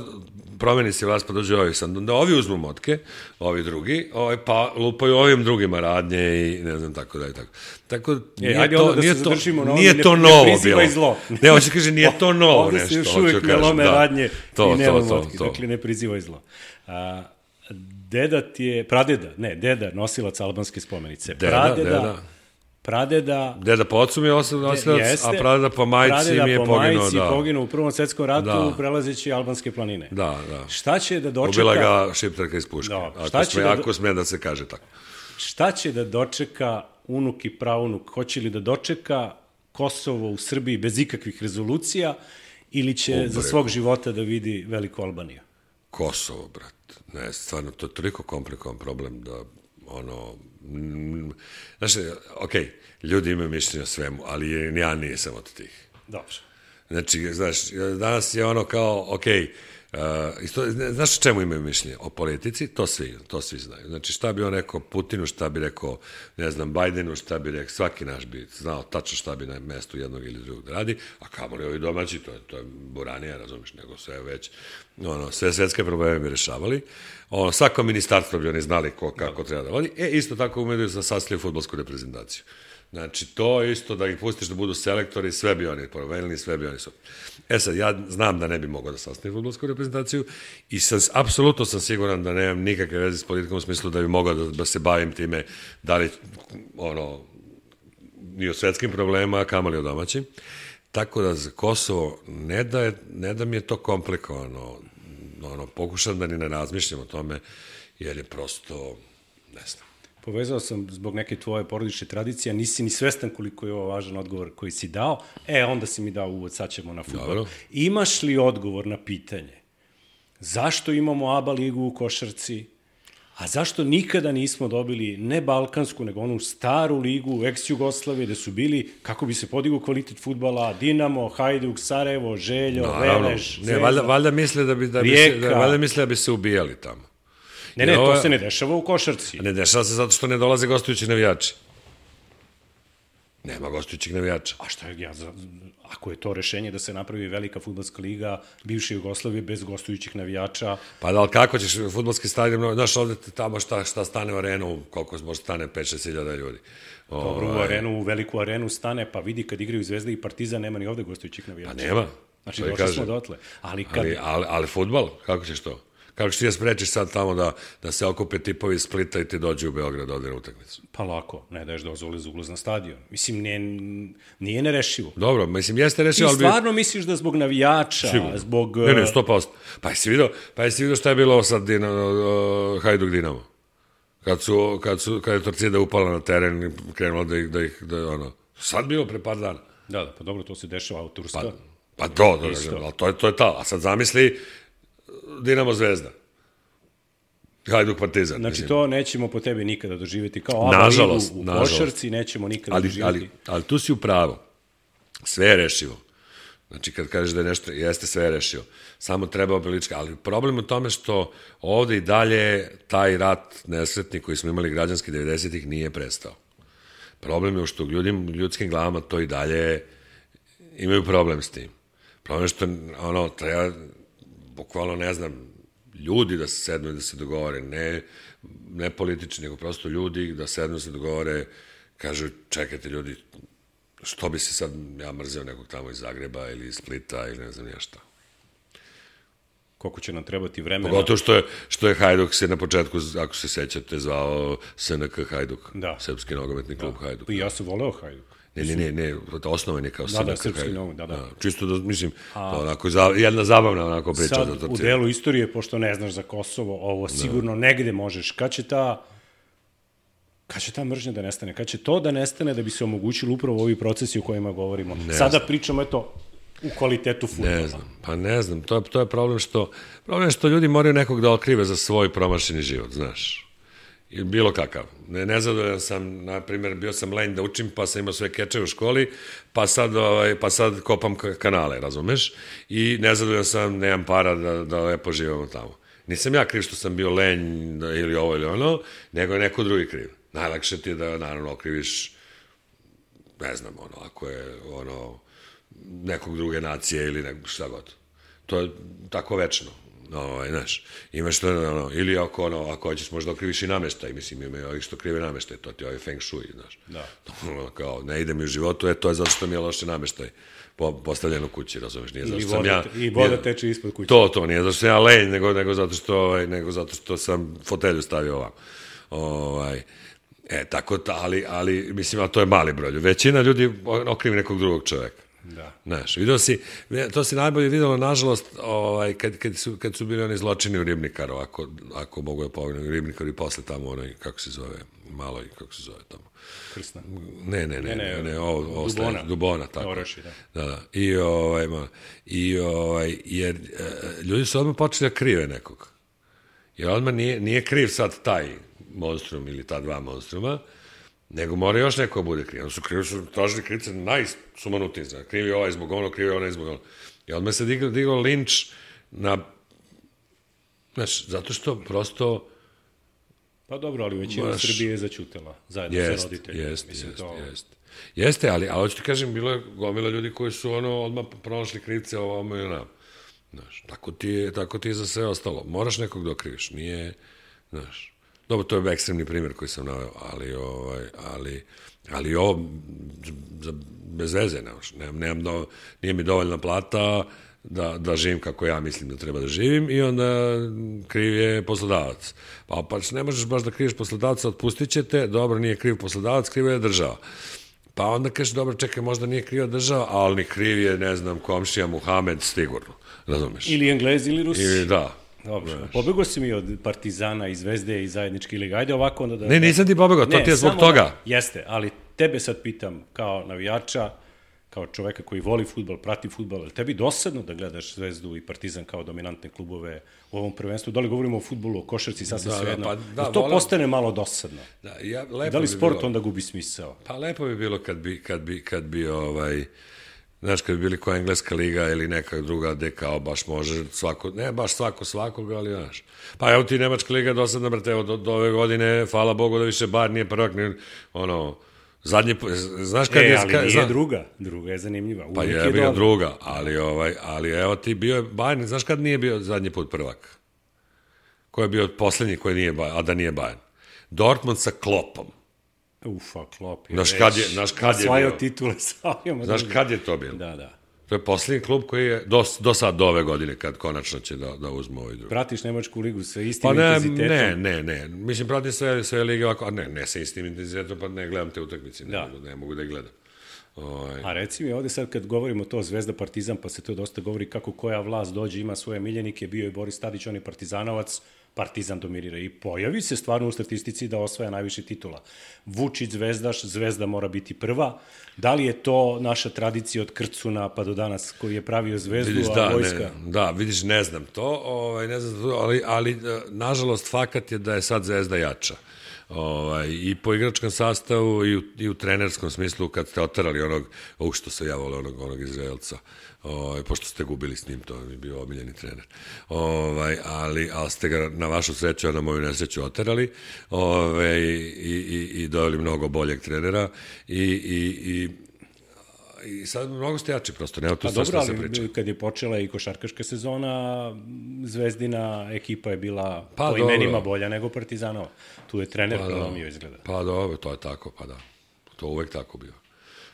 S3: promeni se vlast pa dođe ovi sad, da ovi uzmu motke, ovi drugi, pa lupaju ovim drugima radnje i ne znam, tako da i tako. Tako, nije to novo bilo. Zlo. Ne, hoće kaže, nije to novo
S2: ovdje
S3: nešto.
S2: Ovdje se još uvijek ne lome radnje i nema motke, dakle ne prizivaj zlo. Deda nosilac albanske spomenice. Pradeda
S3: po ocu mi je nosilac, a pradeda po majci mi je poginuo. Pradeda po majci
S2: poginuo u Prvom svetskom ratu prelazeći albanske planine.
S3: Da.
S2: Šta će da dočeka...
S3: Ubila ga šiptarka iz puške, ako sme da se kaže tako.
S2: Šta će da dočeka unuk i praunuk? Hoće li da dočeka Kosovo u Srbiji bez ikakvih rezolucija ili će za svog života da vidi Veliku Albaniju?
S3: Kosovo, brat. Ne, stvarno, to je toliko komplikovan problem da, znaš, ljudi imaju mišljenje o svemu, ali ja nisam od tih.
S2: Dobro.
S3: Znači, znaš, danas je kao, znaš o čemu imaju mišljenje? O politici, to svi znaju. Znači, šta bi on rekao Putinu, šta bi rekao, ne znam, Bajdenu, šta bi rekao, svaki naš bi znao tačno šta bi na mestu jednog ili drugog da radi, a kamoli ovi domaći, to je buranija, razumiš, nego sve već, sve svetske probleme bi rešavali. Svako ministarstvo bi oni znali kako treba da vodi. Isto tako umeju da sastavljaju fudbalsku reprezentaciju. Znači, to isto da ih pustiš da budu selektori, sve bi oni promenili, sve bi oni su. Sad, ja znam da ne bi mogao da sastavim fudbalsku reprezentaciju i apsolutno sam siguran da nemam nikakve veze s politikom u smislu da bi mogao da se bavim time da li, ni o svetskim problema, a kamoli o domaćim. Tako da za Kosovo ne da mi je to komplikovano, pokušam da ni ne razmišljam o tome, jer je prosto, ne znam.
S2: Povezao sam zbog neke tvoje porodične tradicije, nisi ni svestan koliko je ovo važan odgovor koji si dao, onda si mi dao uvod, sad ćemo na fudbal.
S3: Dobro.
S2: Imaš li odgovor na pitanje zašto imamo ABA ligu u košarci, a zašto nikada nismo dobili ne balkansku, nego onu staru ligu ex-Jugoslavije, gde su bili, kako bi se podigao kvalitet fudbala, Dinamo, Hajduk, Sarajevo, Željo, Velež, Zvezda,
S3: valjda misle da bi se ubijali tamo.
S2: Ne, to se ne dešava u košarci.
S3: Ne dešava se zato što ne dolaze gostujući navijači. Nema gostujućih navijača.
S2: A šta je, ako je to rešenje da se napravi velika fudbalska liga bivše Jugoslavije bez gostujućih navijača...
S3: Pa da, ali kako ćeš fudbalski stadion, znaš, ovde tamo šta stane u arenu, koliko može stane 5-6 hiljada ljudi.
S2: Dobro, u veliku arenu stane, pa vidi kad igraju Zvezda i Partizan, nema ni ovde gostujućih navijača.
S3: Pa nema.
S2: Znači, došli smo dotle.
S3: Ali fudbal, kako ćeš to? Kako ćeš ti da sprečiš sad tamo da se okupe tipovi iz Splita i ti dođu u Beograd ovde na utakmicu?
S2: Pa lako, ne daješ dozvole za ulaz na stadion. Mislim, nije nerešivo.
S3: Dobro, mislim, jeste rešivo, ali...
S2: Ti stvarno misliš da zbog navijača, zbog...
S3: Ne, 100%. Pa jesi vidio šta je bilo sad Hajduk Dinamo? Kad je Torcida upala na teren i krenula da ih sad bilo pre par dana.
S2: Da, pa dobro, to se dešava u Turska.
S3: Pa to je to. A sad zamisli Dinamo Zvezda. Hajduk Partizan.
S2: Znači to nećemo po tebi nikada doživjeti. Kao ABA ligu u košarci nećemo nikada doživjeti.
S3: Ali tu si u pravu. Sve je rešivo. Znači kad kažeš da je nešto, jeste sve je rešivo. Samo treba obilička. Ali problem u tome što ovde i dalje taj rat nesretni koji smo imali građanski 90-ih nije prestao. Problem je što ljudskim glavama to i dalje imaju problem s tim. Problem je što treba bukvalno, ne znam, ljudi da se sednu i da se dogovore, ne politični, nego prosto ljudi da sednu i da se dogovore, kažu, čekajte ljudi, što bi se sad, ja mrzeo nekog tamo iz Zagreba ili iz Splita ili ne znam ja šta.
S2: Koliko će nam trebati vremena.
S3: Pogotovo što je Hajduk se na početku, ako se sećate, zvao SNK Hajduk, Srpski nogometni klub Hajduk.
S2: I ja sam voleo Hajduk.
S3: Ne, osnovan je kao SNK Hajduk.
S2: Srpski nogomet, da.
S3: Čisto da, mislim, onako, jedna zabavna onako priča.
S2: Sad, u delu istorije, pošto ne znaš za Kosovo, ovo sigurno negde možeš. Kad će ta mržnja da nestane? Kad će to da nestane da bi se omogućili upravo ovi procesi o kojima govorimo? Sada pričamo, u kvalitetu fudbala.
S3: Ne znam, to je problem što ljudi moraju nekog da okrive za svoj promašeni život, znaš. Bilo kakav. Nezadovoljan sam, na primjer, bio sam lenj da učim, pa sam imao sve keče u školi, pa sad kopam kanale, razumeš? I nezadovoljan sam, nemam para da lepo živamo tamo. Nisam ja kriv što sam bio lenj ili ovo ili ono, nego je neko drugi kriv. Najlakše ti je da, naravno, okriviš, ne znam, ako je, nekog druge nacije ili šta god. To je tako večno. Znaš, imaš to, ili ako hoćeš možda okriviš i nameštaj, mislim, ima ovih što krive nameštaj, to ti je ovaj feng shui, znaš.
S2: Da.
S3: Kao, ne ide mi u životu, to je zato što mi je loše nameštaj postavljeno kući, razumeš, nije zato što sam ja...
S2: I voda teče ispod kuće.
S3: To, nije zato što ja lenj, nego zato što sam fotelju stavio ovamo. Tako, ali, mislim, to je mali broj. Većina ljudi okrivi nekog drugog čoveka.
S2: Da.
S3: Znaš, to si najbolje videlo, nažalost, kad su bili oni zločini u Ribnikaru, ako mogu da povijem, Ribnikaru i posle tamo onaj, kako se zove, malo i kako se zove tamo.
S2: Krsna.
S3: Ne, Dubona, tako.
S2: Oraši, da.
S3: Da. Jer ljudi su odmah počeli da krive nekog. Jer odmah nije kriv sad taj monstrum ili ta dva monstruma, nego mora još neko bude kriv. Su tražili krivce najsumanutiji. Krivi ovaj zbog ono, krivi onaj zbog ono. I odmah se digao linč na... Znaš, zato što prosto...
S2: Pa dobro, ali većina Srbije je začutela, zajedno sa roditeljima.
S3: Jeste, ali hoću ti kažem, bilo je gomila ljudi koji su odmah pronašli krivce ovamo i onamo. Znaš, tako ti je za sve ostalo. Moraš nekog da okriviš, nije... Znaš, dobro, to je ekstremni primjer koji sam naveo, ali ovo bez veze, nije mi dovoljna plata da živim kako ja mislim da treba da živim i onda kriv je poslodavac. Pa ne možeš baš da kriviš poslodavca, otpustit će te, dobro, nije kriv poslodavac, kriv je država. Pa onda kažeš, dobro, čekaj, možda nije kriva država, ali kriv je, ne znam, komšija Muhamed, sigurno, razumeš?
S2: Ili Englezi ili Rusi.
S3: Da.
S2: Dobro, pobegao si mi od Partizana i Zvezde i zajedničke lige. Ajde ovako onda da...
S3: Ne, nisam ti pobegao, to ti je zbog toga.
S2: Jeste, ali tebe sad pitam kao navijača, kao čoveka koji voli fudbal, prati fudbal, ali tebi dosadno da gledaš Zvezdu i Partizan kao dominantne klubove u ovom prvenstvu? Da li govorimo o fudbalu, o košarci, sasvim svejedno? To postane malo dosadno. Da li sport onda gubi smisao?
S3: Pa lepo bi bilo kad bi znaš, kad bi bili koja engleska liga ili neka druga gde kao baš može svako, ne baš svakoga, ali znaš. Pa evo ti nemačka liga dosadna, brate, evo do ove godine, hvala Bogu da više bar nije prvak, zadnji, znaš kad je...
S2: Ali nije druga je zanimljiva.
S3: Pa je bio druga, ali evo ti bio je Bayern, znaš kad nije bio zadnji put prvak? Ko je bio poslednji koji nije Bayern, a da nije Bayern? Dortmund sa Kloppom.
S2: Klopp je
S3: znaš kad je
S2: osvajao titule savijama.
S3: Znaš kad je to bilo?
S2: Da.
S3: To je poslednji klub koji je do sad, do ove godine, kad konačno će da uzme ovaj drugi.
S2: Pratiš nemačku ligu sa istim intenzitetom?
S3: Ne. Mislim, pratim sve lige ovako, ne sa istim intenzitetom, pa ne gledam te utakmice, ne mogu da ih gledam.
S2: A reci mi ovde sad kad govorimo to Zvezda Partizan, pa se to dosta govori kako koja vlast dođe, ima svoje miljenike, bio je Boris Tadić, on je partizanovac, Partizan dominira i pojavi se stvarno u statistici da osvaja najviše titula. Vučić zvezdaš, Zvezda mora biti prva. Da li je to naša tradicija od Krcuna pa do danas koji je pravio Zvezdu,
S3: vidiš,
S2: a vojska?
S3: Vidiš, ne znam to, ali nažalost fakat je da je sad Zvezda jača. I po igračkom sastavu i u trenerskom smislu kad ste oterali što se ja vole onog Izraelca, pošto ste gubili s njim, to je bio omiljeni trener, ali ste ga na vašu sreću, a na moju nesreću oterali i doveli mnogo boljeg trenera i sad mnogo ste jači prosto, nema tu sve što se priča.
S2: Ali kad je počela i košarkaška sezona, Zvezdina ekipa je bila po imenima bolja nego Partizanova. Tu je trener prelomio izgleda.
S3: Pa dobro, to je tako, pa da. To uvek tako bio.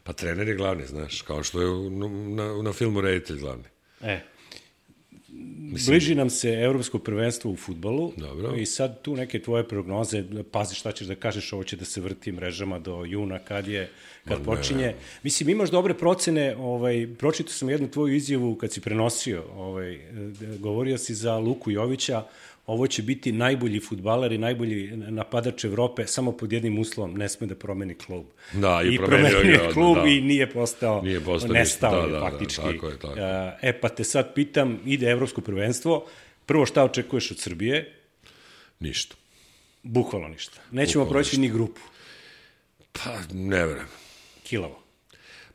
S3: Pa trener je glavni, znaš, kao što je na filmu reditelj glavni.
S2: Bliži nam se evropsko prvenstvo u fudbalu.
S3: Dobro.
S2: I sad tu neke tvoje prognoze, pazi šta ćeš da kažeš, ovo će da se vrti mrežama do juna kad počinje. Mislim, imaš dobre procene, pročitao sam jednu tvoju izjavu kad si prenosio, govorio si za Luku Jovića, ovo će biti najbolji fudbaler i najbolji napadač Evrope, samo pod jednim uslovom, ne sme da promeni klub.
S3: Da,
S2: i promenio je klub i nije postao nestao je faktički.
S3: Tako.
S2: Pa te sad pitam, ide evropsko prvenstvo, prvo šta očekuješ od Srbije?
S3: Ništa.
S2: Bukvalno ništa. Nećemo proći ni grupu.
S3: Pa, ne vrem.
S2: Kilavo.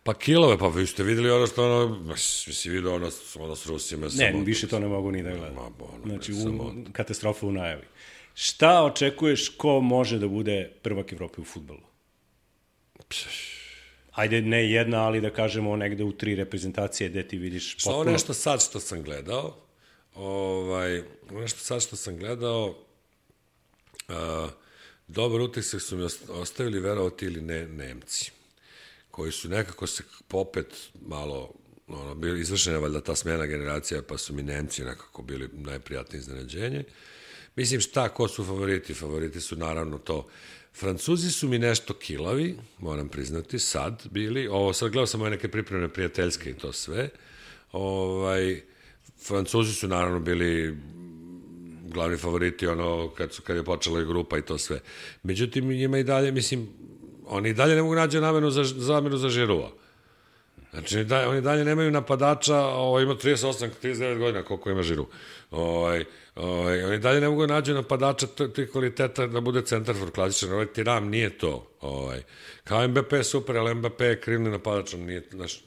S3: Pa kilove, pa vi ste videli ono što si vidio ono s Rusima.
S2: Ne, više to ne mogu ni da gledam. Znači, katastrofa u najavi. Šta očekuješ ko može da bude prvak Evrope u fudbalu? ajde ne jedna, ali da kažemo negde u 3 reprezentacije gde ti vidiš potpuno...
S3: Ovo nešto sad što sam gledao, dobar utisak su mi ostavili, verovati ili ne, Nemci, koji su nekako se popet malo, bili izvršena valjda ta smena generacija, pa su mi Nemci nekako bili najprijatnije iznenađenje. Mislim, ko su favoriti? Favoriti su naravno to. Francuzi su mi nešto kilavi, moram priznati, sad bili. Sad gledao sam neke pripremne prijateljske i to sve. Francuzi su naravno bili glavni favoriti kad je počela i grupa i to sve. Međutim, njima i dalje, mislim, oni i dalje ne mogu naći zamenu za Žirua. Znači, oni dalje nemaju napadača, ima 38-39 godina, koliko ima Žiru. Oni dalje ne mogu naći napadača tih kvaliteta da bude centarfor klasičan. Tiram nije to. Kao Mbappé je super, ali Mbappé je krivni napadač.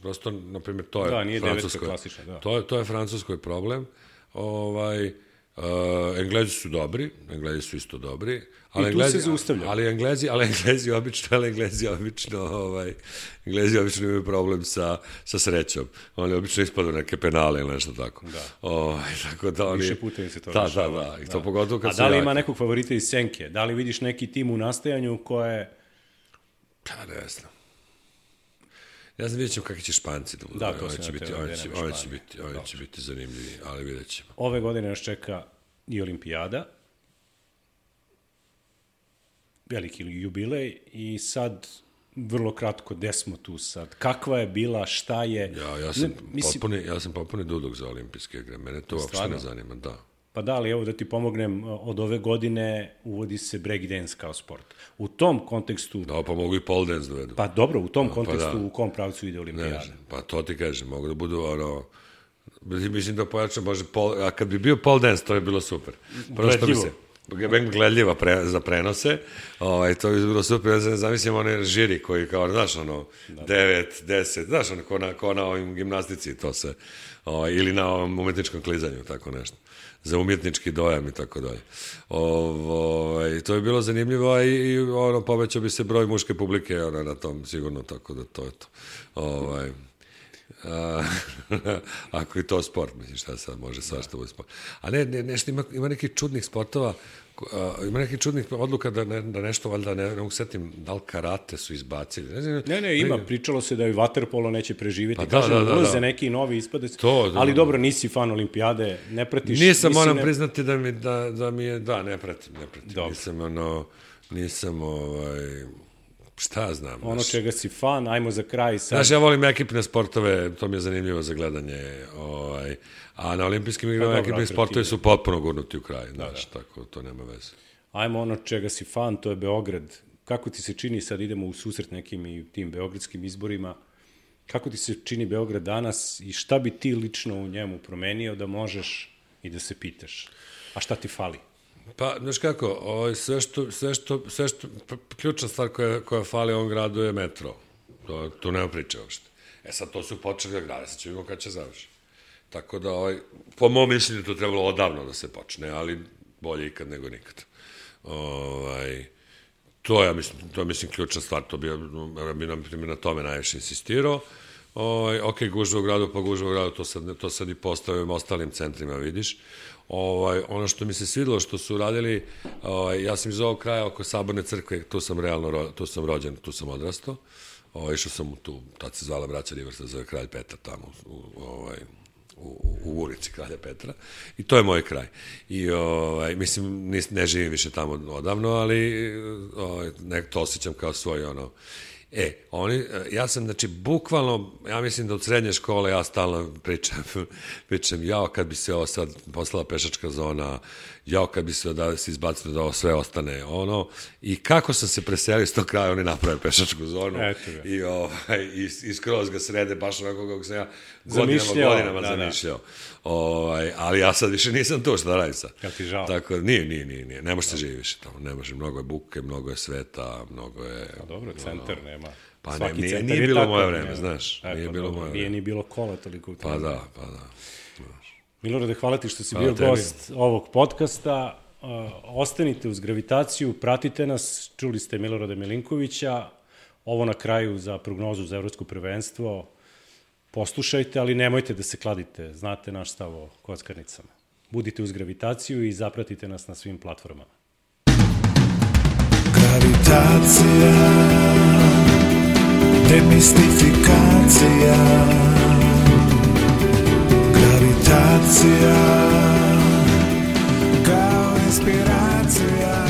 S3: Prosto, na primjer, to je
S2: da, nije devetka klasična, da.
S3: To je francuskoj problem. Englezi su dobri, Englezi su isto dobri.
S2: I tu se zaustavlja.
S3: Ali Englezi obično imaju problem sa srećom. Oni obično ispadu neke penale ili nešto tako.
S2: Da.
S3: Tako da oni...
S2: Više puta im se to rešava.
S3: Da. I to pogotovo kad
S2: a da li ima nekog favorita iz senke? Da li vidiš neki tim u nastajanju koje...
S3: Pa ne znam. Ja znam, vidjet ćemo kakvi će Španci da budu.
S2: Da, to
S3: oni će biti zanimljivi, ali vidjet ćemo.
S2: Ove godine nas čeka i olimpijada, veliki jubilej, i sad vrlo kratko, gde smo tu sad? Kakva je bila, šta je...
S3: Ja sam popuni dudok za olimpijske igre, mene to uopšte ne zanima, da.
S2: Pa da, ali evo da ti pomognem, od ove godine uvodi se breakdance kao sport. U tom kontekstu...
S3: Da, pa mogu i pole dance dovedu.
S2: Pa dobro, u tom kontekstu u kom pravcu ide olimpijada?
S3: Pa to ti kažem, mogu da budu mislim da pojačam, a kad bi bio pole dance, to je bilo super.
S2: Gledljivo.
S3: Gledljiva za prenose, to bi bilo super, ja ne zamislim one žiri koji kao, znaš, 9, 10, znaš, ko na ovim gimnastici, to se, ili na ovom umetničkom klizanju, tako nešto, za umjetnički dojam i tako dalje. To je bilo zanimljivo i povećao bi se broj muške publike na tom, sigurno, tako da to je to. Ako je to sport, mislim, šta sad može svašta bude sport. A nešto ima nekih čudnih sportova, ima nekih čudnih odluka da nešto, valjda, ne mogu setim, da li karate su izbacili.
S2: Ne, ima, pričalo se da i vaterpolo neće preživjeti. Pa kažem, ulaze neki novi ispade, ali dobro, nisi fan olimpijade, ne pratiš...
S3: Nisam, moram priznati da mi je, ne pratim. Nisam, šta znam.
S2: Ono čega si fan, ajmo za kraj sad.
S3: Znaš, ja volim ekipne sportove, to mi je zanimljivo za gledanje, a na olimpijskim igrama ekipni sportovi su potpuno gurnuti u kraj, znaš, tako, to nema veze.
S2: Ajmo ono čega si fan, to je Beograd. Kako ti se čini, sad idemo u susret nekim i tim beogradskim izborima, kako ti se čini Beograd danas i šta bi ti lično u njemu promenio da možeš i da se pitaš? A šta ti fali?
S3: Pa, znaš kako, sve što ključna stvar koja fali ovom gradu je metro. Tu nema priče uopšte. Sad to su počeli da grade, sad ćemo vidimo kada će završi. Tako da, po mom mišljenju to trebalo odavno da se počne, ali bolje ikad nego nikad. To je, mislim, ključna stvar, to bi na tome najviše insistirao. Ok, gužva u gradu, pa gužva u gradu, to sad i postavljamo ostalim centrima, vidiš. Ono što mi se svidilo, što su radili, ja sam iz ovog kraja oko Saborne crkve, tu sam rođen, tu sam odrastao, išao sam tu, tad se zvala braća Riversa, zove Kralj Petar tamo, u ulici Kralja Petra, i to je moj kraj. I, mislim, ne živim više tamo odavno, ali to osjećam kao svoj, ja sam, znači, bukvalno, ja mislim da od srednje škole ja stalno pričam, kad bi se ovo sad poslala pešačka zona, kad bi se izbacilo da ovo sve ostane, i kako sam se preselio s tog kraja, oni naprave pešačku zonu, i skroz ga srede, baš onako kako sam ja godinama zamišljao. Ali ja sad više nisam tu, šta da radim sad.
S2: Kad ti žao?
S3: Tako, nije, ne može se živi više tamo, ne može, mnogo je buke, mnogo je sveta, mnogo je...
S2: Pa dobro, centar nema.
S3: Pa nije bilo moje vreme, znaš, nije bilo moje vreme.
S2: Nije ni bilo kola toliko.
S3: Pa da.
S2: Milorade, hvala ti što si bio gost ovog podcasta. Ostanite uz Gravitaciju, pratite nas, čuli ste Milorada Milinkovića. ovo na kraju za prognozu za evropsko prvenstvo poslušajte, ali nemojte da se kladite. Znate naš stav o kockarnicama. Budite uz gravitaciju i zapratite nas na svim platformama.
S1: Gravitacija, demistifikacija. Gravitacija, kao inspiracija.